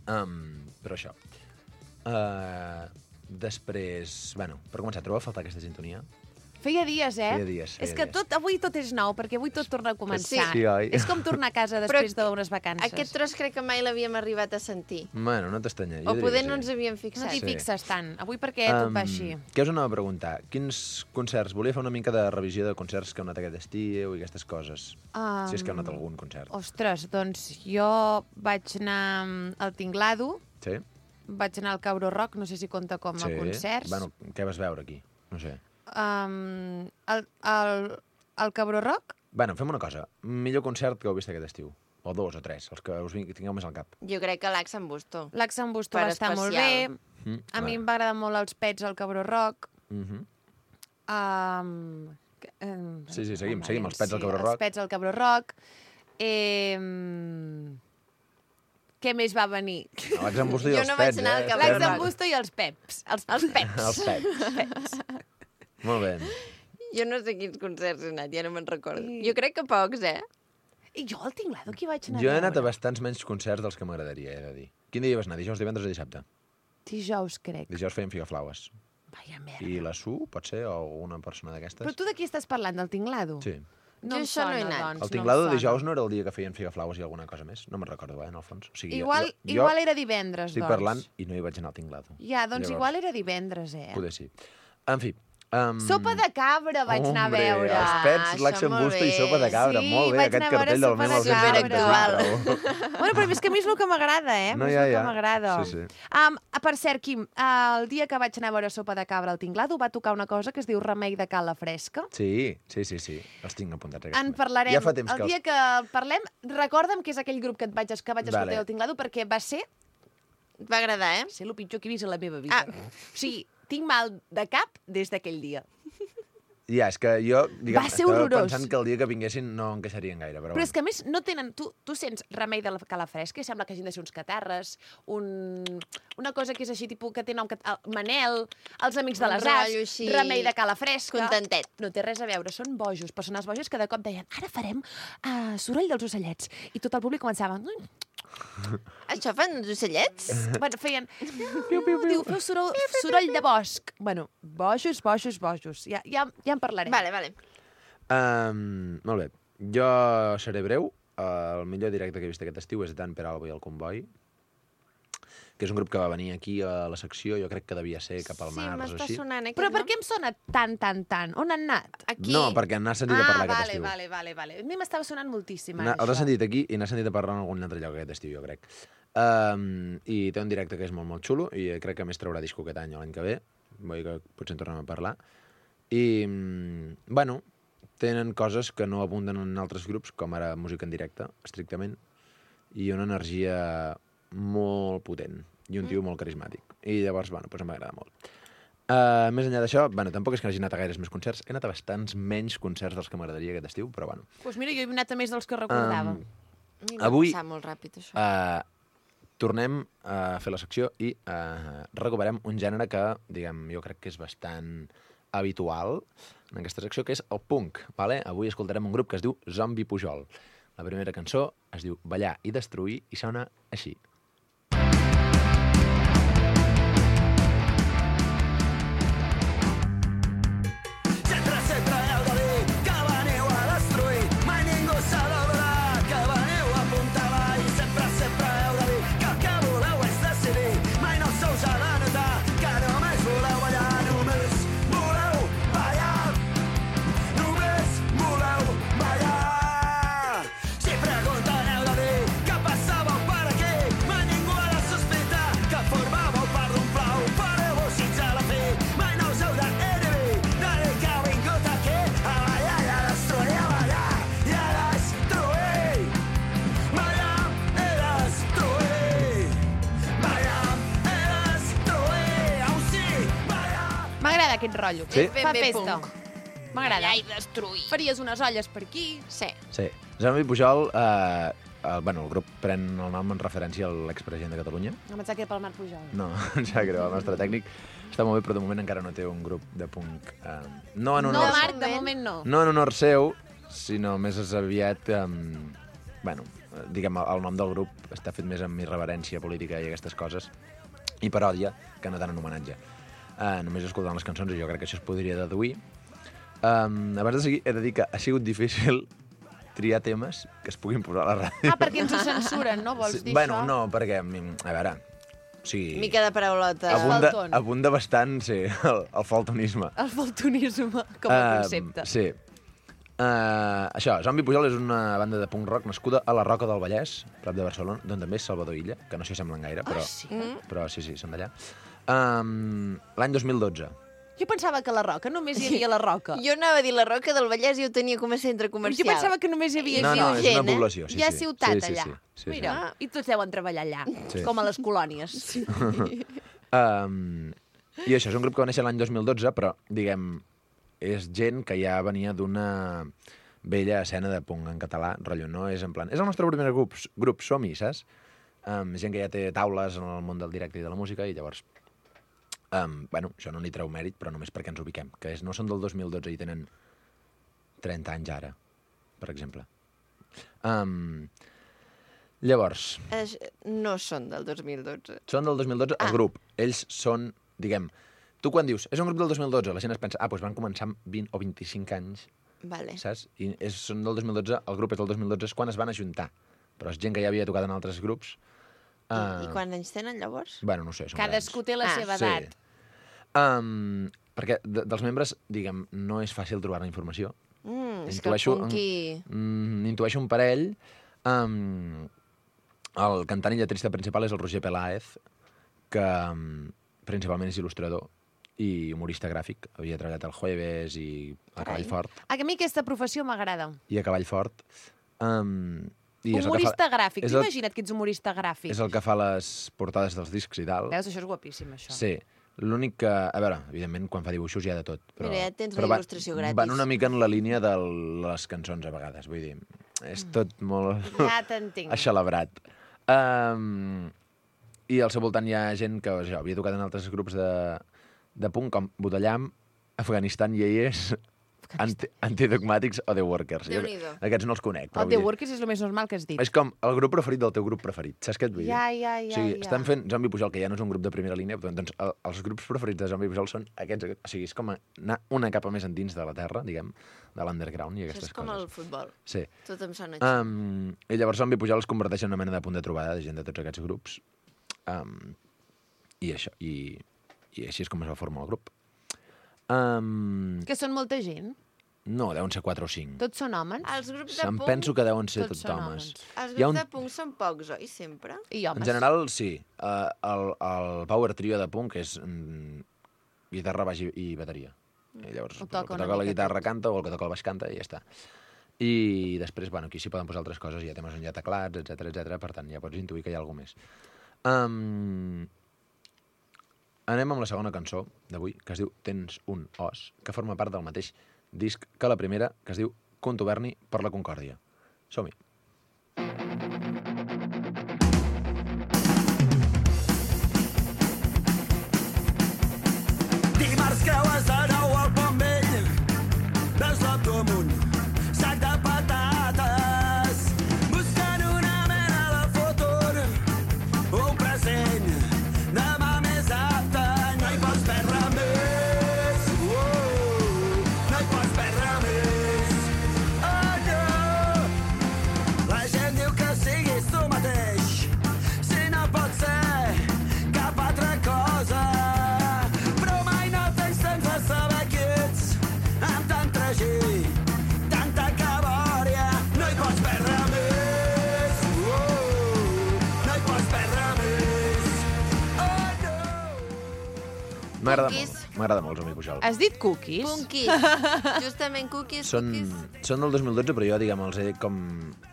Però això. Després, bueno, per començar, trobeu a faltar aquesta sintonia? Feia dies, eh? Feia dies. És que avui tot és nou, perquè avui tot torna a començar. Sí, oi? És com tornar a casa després d'unes vacances. Aquest tros crec que mai l'havíem arribat a sentir. Bueno, no t'estranya. O poder no ens havíem No fixat. t'hi Sí. fixes tant. Avui perquè tot va així. Què us anava a preguntar? Quins concerts? Volia fer una mica de revisió de concerts que heu anat aquest estiu i aquestes coses. Si és que heu anat a algun concert. Ostres, doncs jo vaig anar al Tinglado, Sí? vaig anar al Cabro Rock, no sé si compta com a concerts. Bueno, què vas veure aquí? No sé. El Cabro Rock, Bueno, fem una cosa. Millor concert que heu vist aquest estiu. O dos o tres, els que us tingueu més al cap. Jo crec que l'Ax en Busto. l'Ax en Busto Per va estar molt bé. especial. A mi em va agradar molt els Pets al Cabro Rock. Sí, seguim, els Pets al Cabro Rock. Els Pets al Cabro Rock. Què més va venir? L'Ax en Busto i Jo els no vaig Pets, anar al Cabro L'Ax Rock. en Busto i els Peps. Els Peps. Els Pets. Molt bé. Jo no sé quins concerts he anat, ja no me'n recordo. Jo crec que pocs, eh? I jo al Tinglado qui vaig anar Jo he a anat a veure? bastants menys concerts dels que m'agradaria, he de dir. Quin dia hi vas anar? Dijous, divendres o dissabte? Dijous, crec. Dijous feien Figaflaues. Vaya merda. I la Su, pot ser, o alguna persona d'aquestes? Però tu de qui estàs parlant, del Tinglado? Sí. No Jo em això no he sona, anat. doncs, El Tinglado de dijous no era el dia que feien Figaflaues i alguna cosa més? No me'n recordo, en el fons. O sigui, Igual era divendres, estic doncs. parlant i no hi vaig anar al Tinglado. Ja, doncs igual era divendres, eh? Poder sí. En fi. Sopa de cabra vaig anar a veure. Els Pets, això l'Ax en molt Busto i bé. Sopa de cabra. Sí, Molt bé, vaig aquest anar a veure cartell del Sopa de 1994. Bueno, però és que a mi és el que m'agrada, eh? No, és ja, el ja. que m'agrada. Sí. Per cert, Quim, el dia que vaig anar a veure Sopa de cabra al Tinglado va tocar una cosa que es diu Remei de Cala Fresca. Sí. Els tinc apuntats. aquests En moments. parlarem. Ja fa temps el que dia que parlem, recorda'm que és aquell grup que vaig escoltar Vale. al Tinglado perquè va ser Et va agradar, eh? el pitjor que he vist a la meva vida. O sigui, tinc mal de cap des d'aquell dia. Ja, és que jo, diguem, Va ser estava horrorós. pensant que el dia que vinguessin no encaixarien gaire, però... Però és que, a més, no tenen... Tu sents Remei de la Cala Fresca i sembla que hagin de ser uns catarres, una cosa que és així, tipus, que té nom... Manel, els Amics de Un les Arts, rotllo així, Remei de Cala Fresca... contentet. No té res a veure, són bojos, persones boges que de cop deien ara farem soroll dels ocellets. I tot el públic començava... Això fan els ocellets? Bueno, feien... Diu, feu soroll de bosc. Bueno, bojos. Ja en parlarem. Vale. Molt bé. Jo seré breu. El millor directe que he vist aquest estiu és Dan Peralbo i el Comboi, que és un grup que va venir aquí a la secció, jo crec que devia ser cap al Sí, març o m'està així. sonant aquest Però per nom. què em sona tant? On han anat? Aquí. No, perquè n'ha sentit a parlar aquest estiu. Vale. A mi m'estava sonant moltíssim, ara, Els ha això. sentit aquí i n'ha sentit a parlar en algun altre lloc aquest estiu, jo crec. I té un directe que és molt xulo i crec que a més traurà disco aquest any o l'any que ve. Vull dir que potser en tornem a parlar. I, bueno, tenen coses que no abunden en altres grups, com ara música en directe, estrictament, i una energia molt potent i un tio molt carismàtic. I llavors, bueno, doncs m'agrada molt. Més enllà d'això, bueno, tampoc és que hagi anat a gaires més concerts. He anat a bastants menys concerts dels que m'agradaria aquest estiu, però bueno. Doncs mira, jo he anat a més dels que recordava. A mi m'ha Avui- passat molt ràpid, això. Tornem a fer la secció i recuperem un gènere que, diguem, jo crec que és bastant habitual en aquesta secció, que és el punk. Vale? Avui escoltarem un grup que es diu Zombi Pujol. La primera cançó es diu Ballar i Destruir i sona així. Sempre heu de dir que veniu a destruir. Mai ningú s'ha d'adonar que veniu a apuntar avall. Sempre heu de dir que el que voleu és decidir. Mai no se us ha de notar que només voleu ballar. Només voleu ballar. Només voleu ballar. M'agrada aquest rotllo. Sí? Fa Ben bé festa. punk. M'agrada. Allà i destruir. Faries unes olles per aquí. Sí. Sí. Zombie Pujol, el grup pren el nom en referència a l'expresident de Catalunya. No em sap que pel Marc Pujol. No, em sap greu, el nostre tècnic està molt bé, però de moment encara no té un grup de punk. No en No, honor, Marc, de moment no. no en honor seu, sinó més aviat... diguem, el nom del grup està fet més amb irreverència política i aquestes coses, i paròdia, que no tant en homenatge. Només escoltant les cançons, i jo crec que això es podria deduir. Abans de seguir, he de dir que ha sigut difícil triar temes que es puguin posar a la ràdio. Perquè ens ho censuren, no? Vols dir Bueno, això? no, perquè, a veure, o sigui, Mica de paraulota. falton. abunda bastant, sí, el faltonisme. El faltonisme com a concepte. Sí. Això, Zombie Pujol és una banda de punk rock nascuda a la Roca del Vallès, prop de Barcelona, d'on també és Salvador Illa, que no s'hi semblen gaire, però, però sí, són d'allà. L'any 2012. Jo pensava que a la Roca només hi havia la Roca. Jo anava a dir la Roca del Vallès i ho tenia com a centre comercial. Jo pensava que només hi havia No, gent. és una població, sí, Hi ha sí. ciutat Sí, allà. sí. Mira, i tots deuen treballar allà, Sí. com a les colònies. I això és un grup que va néixer l'any 2012, però, diguem, és gent que ja venia d'una vella escena de punk en català, rotllo, no? És en plan... És el nostre primer grup som-hi, saps? Gent que ja té taules en el món del directe i de la música, i llavors... Bueno, això no n'hi treu mèrit, però només perquè ens ubiquem, que no són del 2012 i tenen 30 anys ara, per exemple. Llavors... No són del 2012. Són del 2012, el grup. Ells són, diguem... Tu quan dius, és un grup del 2012, la gent es pensa, doncs van començar amb 20 o 25 anys, Vale. saps? I són del 2012, el grup és del 2012, és quan es van ajuntar. Però és gent que ja havia tocat en altres grups. I quants anys tenen, llavors? Bueno, no sé, són Cadascú té la seva edat. Sí. Perquè dels membres, diguem, no és fàcil trobar la informació. És que el punky... Intueixo un parell. El cantant i lletrista principal és el Roger Peláez, que principalment és il·lustrador i humorista gràfic. Havia treballat al Jueves i a Cavall Fort. A mi aquesta professió m'agrada. I a Cavall Fort. I és el que Humorista fa, gràfic. és Tu el- imagina't que ets humorista gràfic. És el que fa les portades dels discs i tal. Veus, això és guapíssim, això. Sí. L'únic que... A veure, evidentment, quan fa dibuixos hi ha de tot. Però, Mira, ja tens la però il·lustració gratis. Van una mica en la línia de les cançons, a vegades. Vull dir, és tot molt Ja t'entenc. aixelebrat. I al seu voltant hi ha gent que havia tocat en altres grups de punk, com Budellam, Afganistan Yeyes, Antidogmàtics o The Workers. Déu-n'hi-do. Aquests no els conec. Però El vull The dir, Workers és el més normal que has dit. és com el grup preferit del teu grup preferit. Saps què et vull dir? Ja. O sigui, estan fent Zombie Pujol, que ja no és un grup de primera línia, doncs els grups preferits de Zombie Pujol són aquests. O sigui, és com anar una capa més endins de la terra, diguem, de l'underground i Això aquestes és com el coses. futbol. Sí. Tot em sona així. I llavors Zombie Pujol es converteix en una mena de punt de trobada de gent de tots aquests grups. I això, i així és com es va formar el grup. Que són molta gent. No, deuen ser 4 o 5. Tots són homes. Els grups de Em punk... penso que deuen ser tots tots són homes. Els Hi ha grups un- de punk són pocs, oi? Sempre? I homes. En general, sí. El power trio de punk és guitarra, baix i bateria. I llavors, Ho el toca que una toca la mica guitarra tot. canta o el que toca el baix canta i ja està. I després, bueno, aquí s'hi poden posar altres coses, hi ha temes on hi ha teclats, etc. Per tant, ja pots intuir que hi ha alguna més. Anem amb la segona cançó d'avui, que es diu Tens un os, que forma part del mateix disc que la primera, que es diu Contuberni per la Concòrdia. Som-hi. Dimarts creues de nou al Pont Vell, veus l'auto amunt, sac de patates, buscant una mena de futur, un present, demà més apte, no hi pots perdre més, no hi pots perdre més, oh no, la gent diu que siguis tu mateix, si no pot ser cap altra cosa, però mai no tens temps de saber qui ets, amb tant tragí, tanta cabòria, no hi pots perdre més, no hi pots perdre més, oh no. M'agrada Cookies. molt, m'agrada molt Zombie Pujol. Has dit cookies? Cookies. Justament cookies, Són del 2012, però jo, diguem, els he com...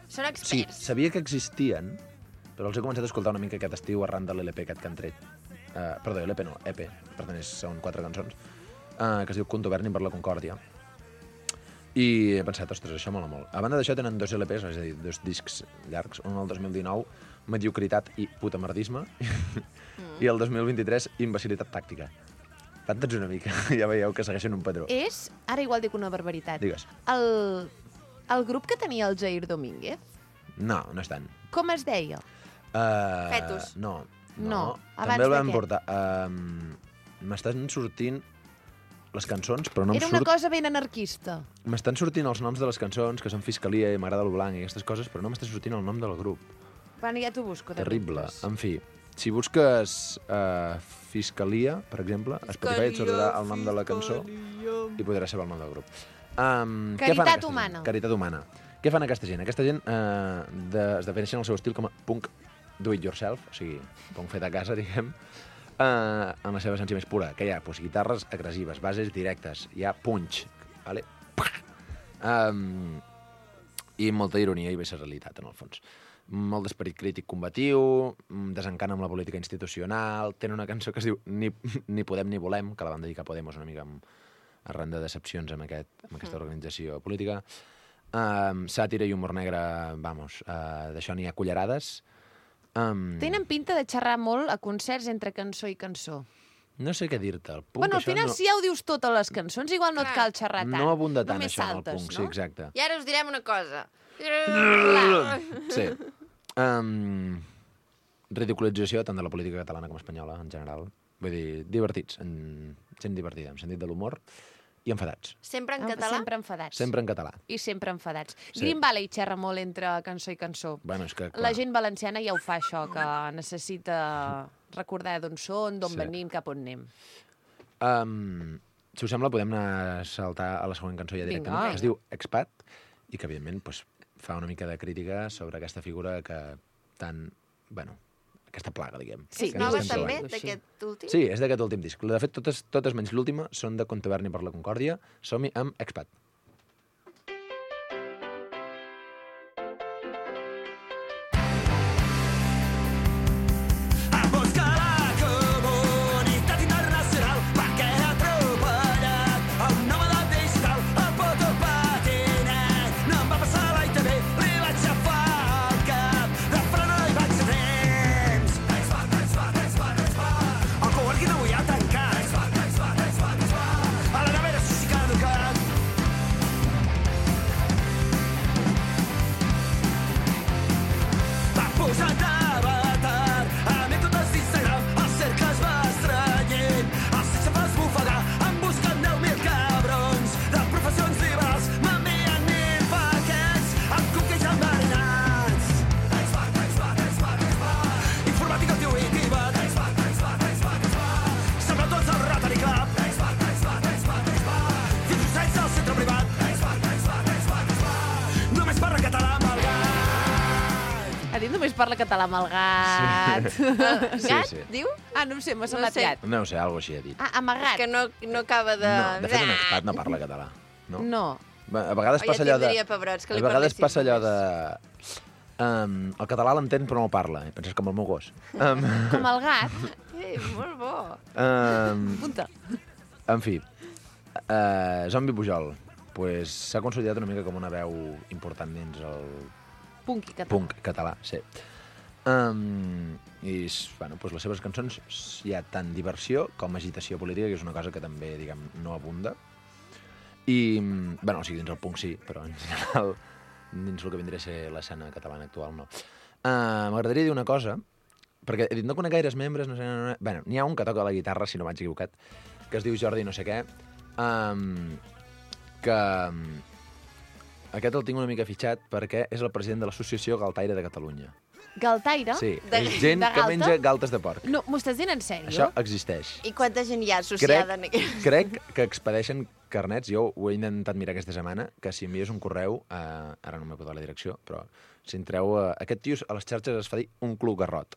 Són Sí, experts. sabia que existien, però els he començat a escoltar una mica aquest estiu arran de l'LP aquest que han tret. Perdó, LP no, EP, per tant són 4 cançons. que es diu Contoverni per la Concòrdia. I he pensat, ostres, això mola molt. A banda d'això tenen 2 LPs, és a dir, 2 discs llargs, un el 2019, Mediocritat i putamerdisme, i el 2023, Imbecilitat tàctica. Tantes una mica, ja veieu que segueixen un patró. És, ara igual dic una barbaritat, Digues. el grup que tenia el Jair Domínguez, No, no és tant. com es deia? Fetus. No. No, abans També el de vam què? portar. M'estan sortint les cançons, però no Era em una surt... cosa ben anarquista. M'estan sortint els noms de les cançons, que són Fiscalia i M'agrada el blanc i aquestes coses, però no m'està sortint el nom del grup. Bueno, ja t'ho busco. de Terrible. mentres. En fi, si busques Fiscalia, per exemple, a Spotify et sortirà el nom de la cançó i podràs saber el nom del grup. Què fan Caritat aquesta humana. Gent? Caritat humana. Què fan aquesta gent? Aquesta gent es defineixen el seu estil com a punk do it yourself, o sigui, punk fet a casa, diguem, en la seva essència més pura, que hi ha pues, guitarres agressives, bases directes, hi ha punch, vale? I molta ironia i visceralitat, en el fons. Molt d'esperit crític combatiu, desencant amb la política institucional, tenen una cançó que es diu Ni podem ni volem, que la van dedicar a Podemos una mica arran de decepcions amb aquesta organització política. Sàtira i humor negre, vamos, d'això n'hi ha cullerades. Tenen pinta de xerrar molt a concerts entre cançó i cançó. No sé què dir-te. El punk, Bueno, al això final, no, si ja ho dius tot a les cançons, igual no et cal xerrar tant. no abunda tant Només això en el saltes, punk, no? sí, exacte. I ara us direm una cosa. Sí. Ridiculització tant de la política catalana com espanyola, en general. Vull dir, divertits, gent divertida, en sentit de l'humor, i enfadats. Sempre en català? Sempre enfadats. Sempre en català. I sempre enfadats. Sí. Green Valley xerra molt entre cançó i cançó. Bueno, és que, clar, La gent valenciana ja ho fa, això, que necessita recordar d'on són, d'on Sí. venim, cap on anem. Si us sembla, podem anar a saltar a la següent cançó ja directament. Vinga. Es diu Expat, i que, evidentment, pues, fa una mica de crítica sobre aquesta figura que tan... Bueno, aquesta plaga, diguem. Sí, que Nova estem també, trobant. d'aquest últim? Sí, és d'aquest últim disc. De fet, totes menys l'última són de Contoverni per la Concòrdia. Som-hi amb Expat. A buscar la comunitat internacional perquè ha atropellat el nòmada digital, el puto patinet. No em va passar a la ITV, li vaig xafar el cap, de frena i vaig a temps. El coworking avui ha tancat, a la nevera sushi caducat. Va posar d'avatar anècdotes d'Instagram, el cercle es va estrenyent, el sexe fa esbufegar, en busquen 10.000 cabrons de professions liberals, m'envien 1.000 paquets amb cupcakes enverinats. Informàtica intuïtiva, sembla tots el Rotary Club, fins docents al centre privat, només parla català amb el gat. Ha dit només parla català amb el gat. Gat, sí. diu? Ah, no ho sé, m'ha semblat sé. gat. No ho sé, alguna així ha dit. Ah, amagat. Que no acaba de... No, de fet, un expat no parla català. No? No. A vegades Oh, ja passa allò de... tindria pebrots que li A vegades parlessin passa allò més. de... el català l'entén però no el parla. Penses com el meu gos. Com el gat. Molt bo. Punta. En fi, Zombi Pujol pues, s'ha consolidat una mica com una veu important dins el Punky català. punk català, sí. I bueno, pues les seves cançons hi ha tant diversió com agitació política, que és una cosa que també, diguem, no abunda. I, bueno, o sigui, dins el punk sí, però en general dins el que vindria a ser l'escena catalana actual no. M'agradaria dir una cosa, perquè he dit, no conec gaires membres, no sé... Bueno, n'hi ha un que toca la guitarra, si no m'haig equivocat, que es diu Jordi no sé què, que aquest el tinc una mica fitxat perquè és el president de l'Associació Galtaire de Catalunya. Galtaire? Sí, De- és gent de que galta? menja galtes de porc. No, m'ho estàs dient en sèrio? Això existeix. I quanta gent hi ha associada en aquest... Crec que expedeixen carnets, jo ho he intentat mirar aquesta setmana, que si envies un correu, ara no m'he posat la direcció, però si entreu... aquest tio a les xarxes es fa dir un club garrot.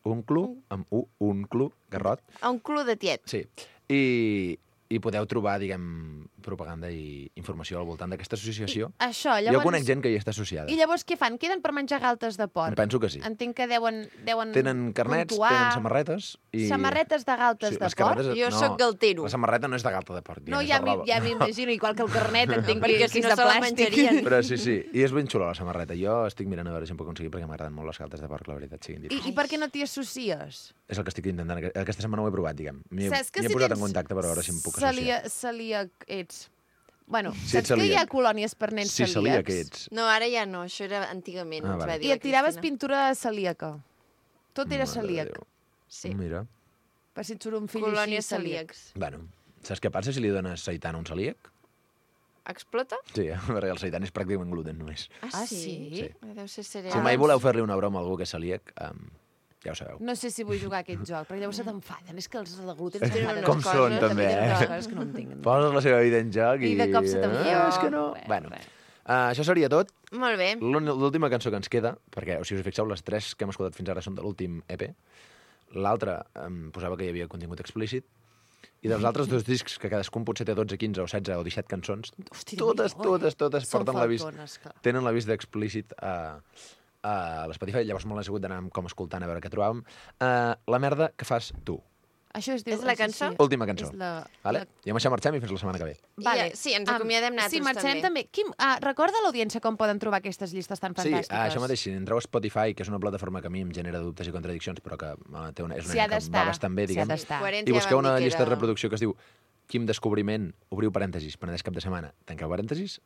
Un club, amb un club garrot. A un club de tiet. Sí, i podeu trobar, diguem, propaganda i informació al voltant d'aquesta associació. Això, Jo conec gent que hi està associada. I llavors què fan? Queden per menjar galtes de porc? Penso que sí. Entenc que deuen Tenen carnets, puntuar. tenen samarretes i... Samarretes de galtes de les porc? carretes- Jo sóc galtero. La samarreta no és de galta de porc, No, és ja de roba. m'imagino, igual que el carnet, entenc perquè que si és no de se la plàstic. menjarien. Però sí, i és ben xula la samarreta. Jo estic mirant a veure si em puc aconseguir perquè m'agraden molt les galtes de porc, la veritat, siguin dit. I per què no t'hi associes? És el que estic intentant. Aquesta setmana ho he provat, diguem. M'hi Saps que he si posat tens en contacte per veure si em puc associar. Celíac ets. Bueno, Si ets saps que hi ha celíac. colònies per nens Sí, celíac celíacs? ets. No, ara ja no, això era antigament, Ah, ens va vale. dir I la et tiraves Cristina. pintura celíaca. Tot era Mare de celíac. Déu. Sí. Mira. Per si et surt un fill Colònies així celíac. celíacs. Bueno, saps què passa si li dones seitan a un celíac? Explota? Sí, perquè el seitan és pràcticament gluten només. Ah, sí? Sí. Deu ser Si cereals. mai voleu fer-li una broma a algú que és celíac, ja ho sabeu. No sé si vull jugar a aquest joc, perquè llavors se t'enfaden. És que els de gluten Tenen s'enfaden. unes Com coses, són, també, Tenen unes eh? coses que no entenc. Poses la seva vida en joc i... I de cop se t'enfada. És que no. Res, Bueno, res. això seria tot. Molt bé. L'última cançó que ens queda, perquè, si us fixeu, les 3 que hem escoltat fins ara són de l'últim EP. L'altra posava que hi havia contingut explícit. I dels altres 2 discs, que cadascun potser té 12, 15 o 16 o 17 cançons, Hosti, totes Són porten l'avís. faltones, clar. Tenen l'avís d'explícit a l'Spotify, llavors me l'he hagut d'anar com escoltant a veure què trobàvem. La merda que fas tu. Això es diu... És la això cançó? Última cançó. És la... Vale? I amb això marxem i fins la setmana que ve. Vale. Sí, ens acomiadem nosaltres Sí, marxem també. Quim, recorda a l'audiència com poden trobar aquestes llistes tan Sí, fantàstiques. això mateix, si entreu a Spotify, que és una plataforma que a mi em genera dubtes i contradiccions, però que és una S'hi ha eina que d'estar, va bastant bé, s'hi ha diguem. d'estar. I busqueu una llista de reproducció que es diu Quim Descobriment, obriu parèntesis, Penedès cap de setmana, tanqueu parèntesis.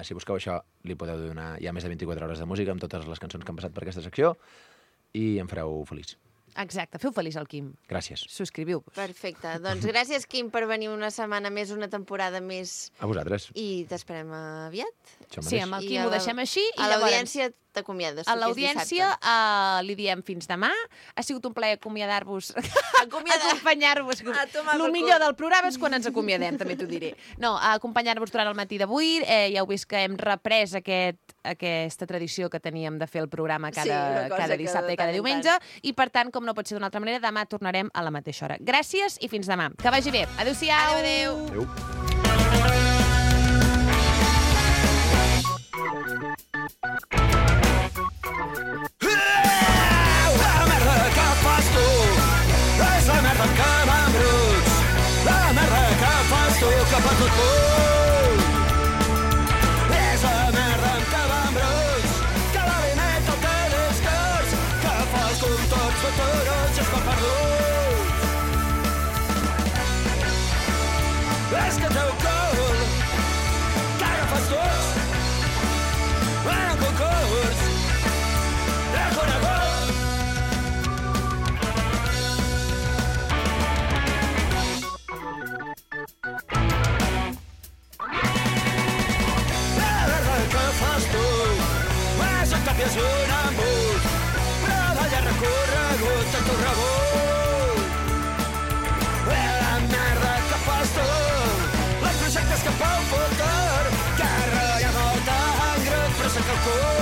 Si busqueu això, li podeu donar... Hi ha més de 24 hores de música amb totes les cançons que han passat per aquesta secció i em fareu feliç. Exacte, feu feliç al Quim. Gràcies. Subscriviu-vos. Perfecte. Doncs gràcies, Quim, per venir una setmana més, una temporada més. A vosaltres. I t'esperem aviat. Això Sí, mateix. amb el I Quim a ho la- deixem així. I A llavors, l'audiència t'acomiades. a tu, que és l'audiència dissabte. li diem fins demà. Ha sigut un plaer acomiadar-vos, Acomiadar. acompanyar-vos. A tomar El per millor cul. del programa és quan ens acomiadem, també t'ho diré. No, acompanyar-vos durant el matí d'avui. Ja heu vist que hem reprès aquesta tradició que teníem de fer el programa Sí, una cosa cada que dissabte de i cada tant en diumenge. I, per tant, com no pot ser d'una altra manera, demà tornarem a la mateixa hora. Gràcies i fins demà. Que vagi bé. Adéu-siau. Adéu. Adéu. La merda que fas tu és la merda que m'embruts. La merda que fas tu que fa tot punt. És la merda que m'embruts. Que l'alimenta el telescurs. Que fas com tots els turons i es va perdut. És que el teu cul que agafes tots en un concurs reconegut. La merda que fas tu és un tap i és un embut, però de llarg recorregut en tot rebut. La merda que fas tu, els projectes que fa un futur, que ratlla molt tan gran, però se'n calcula.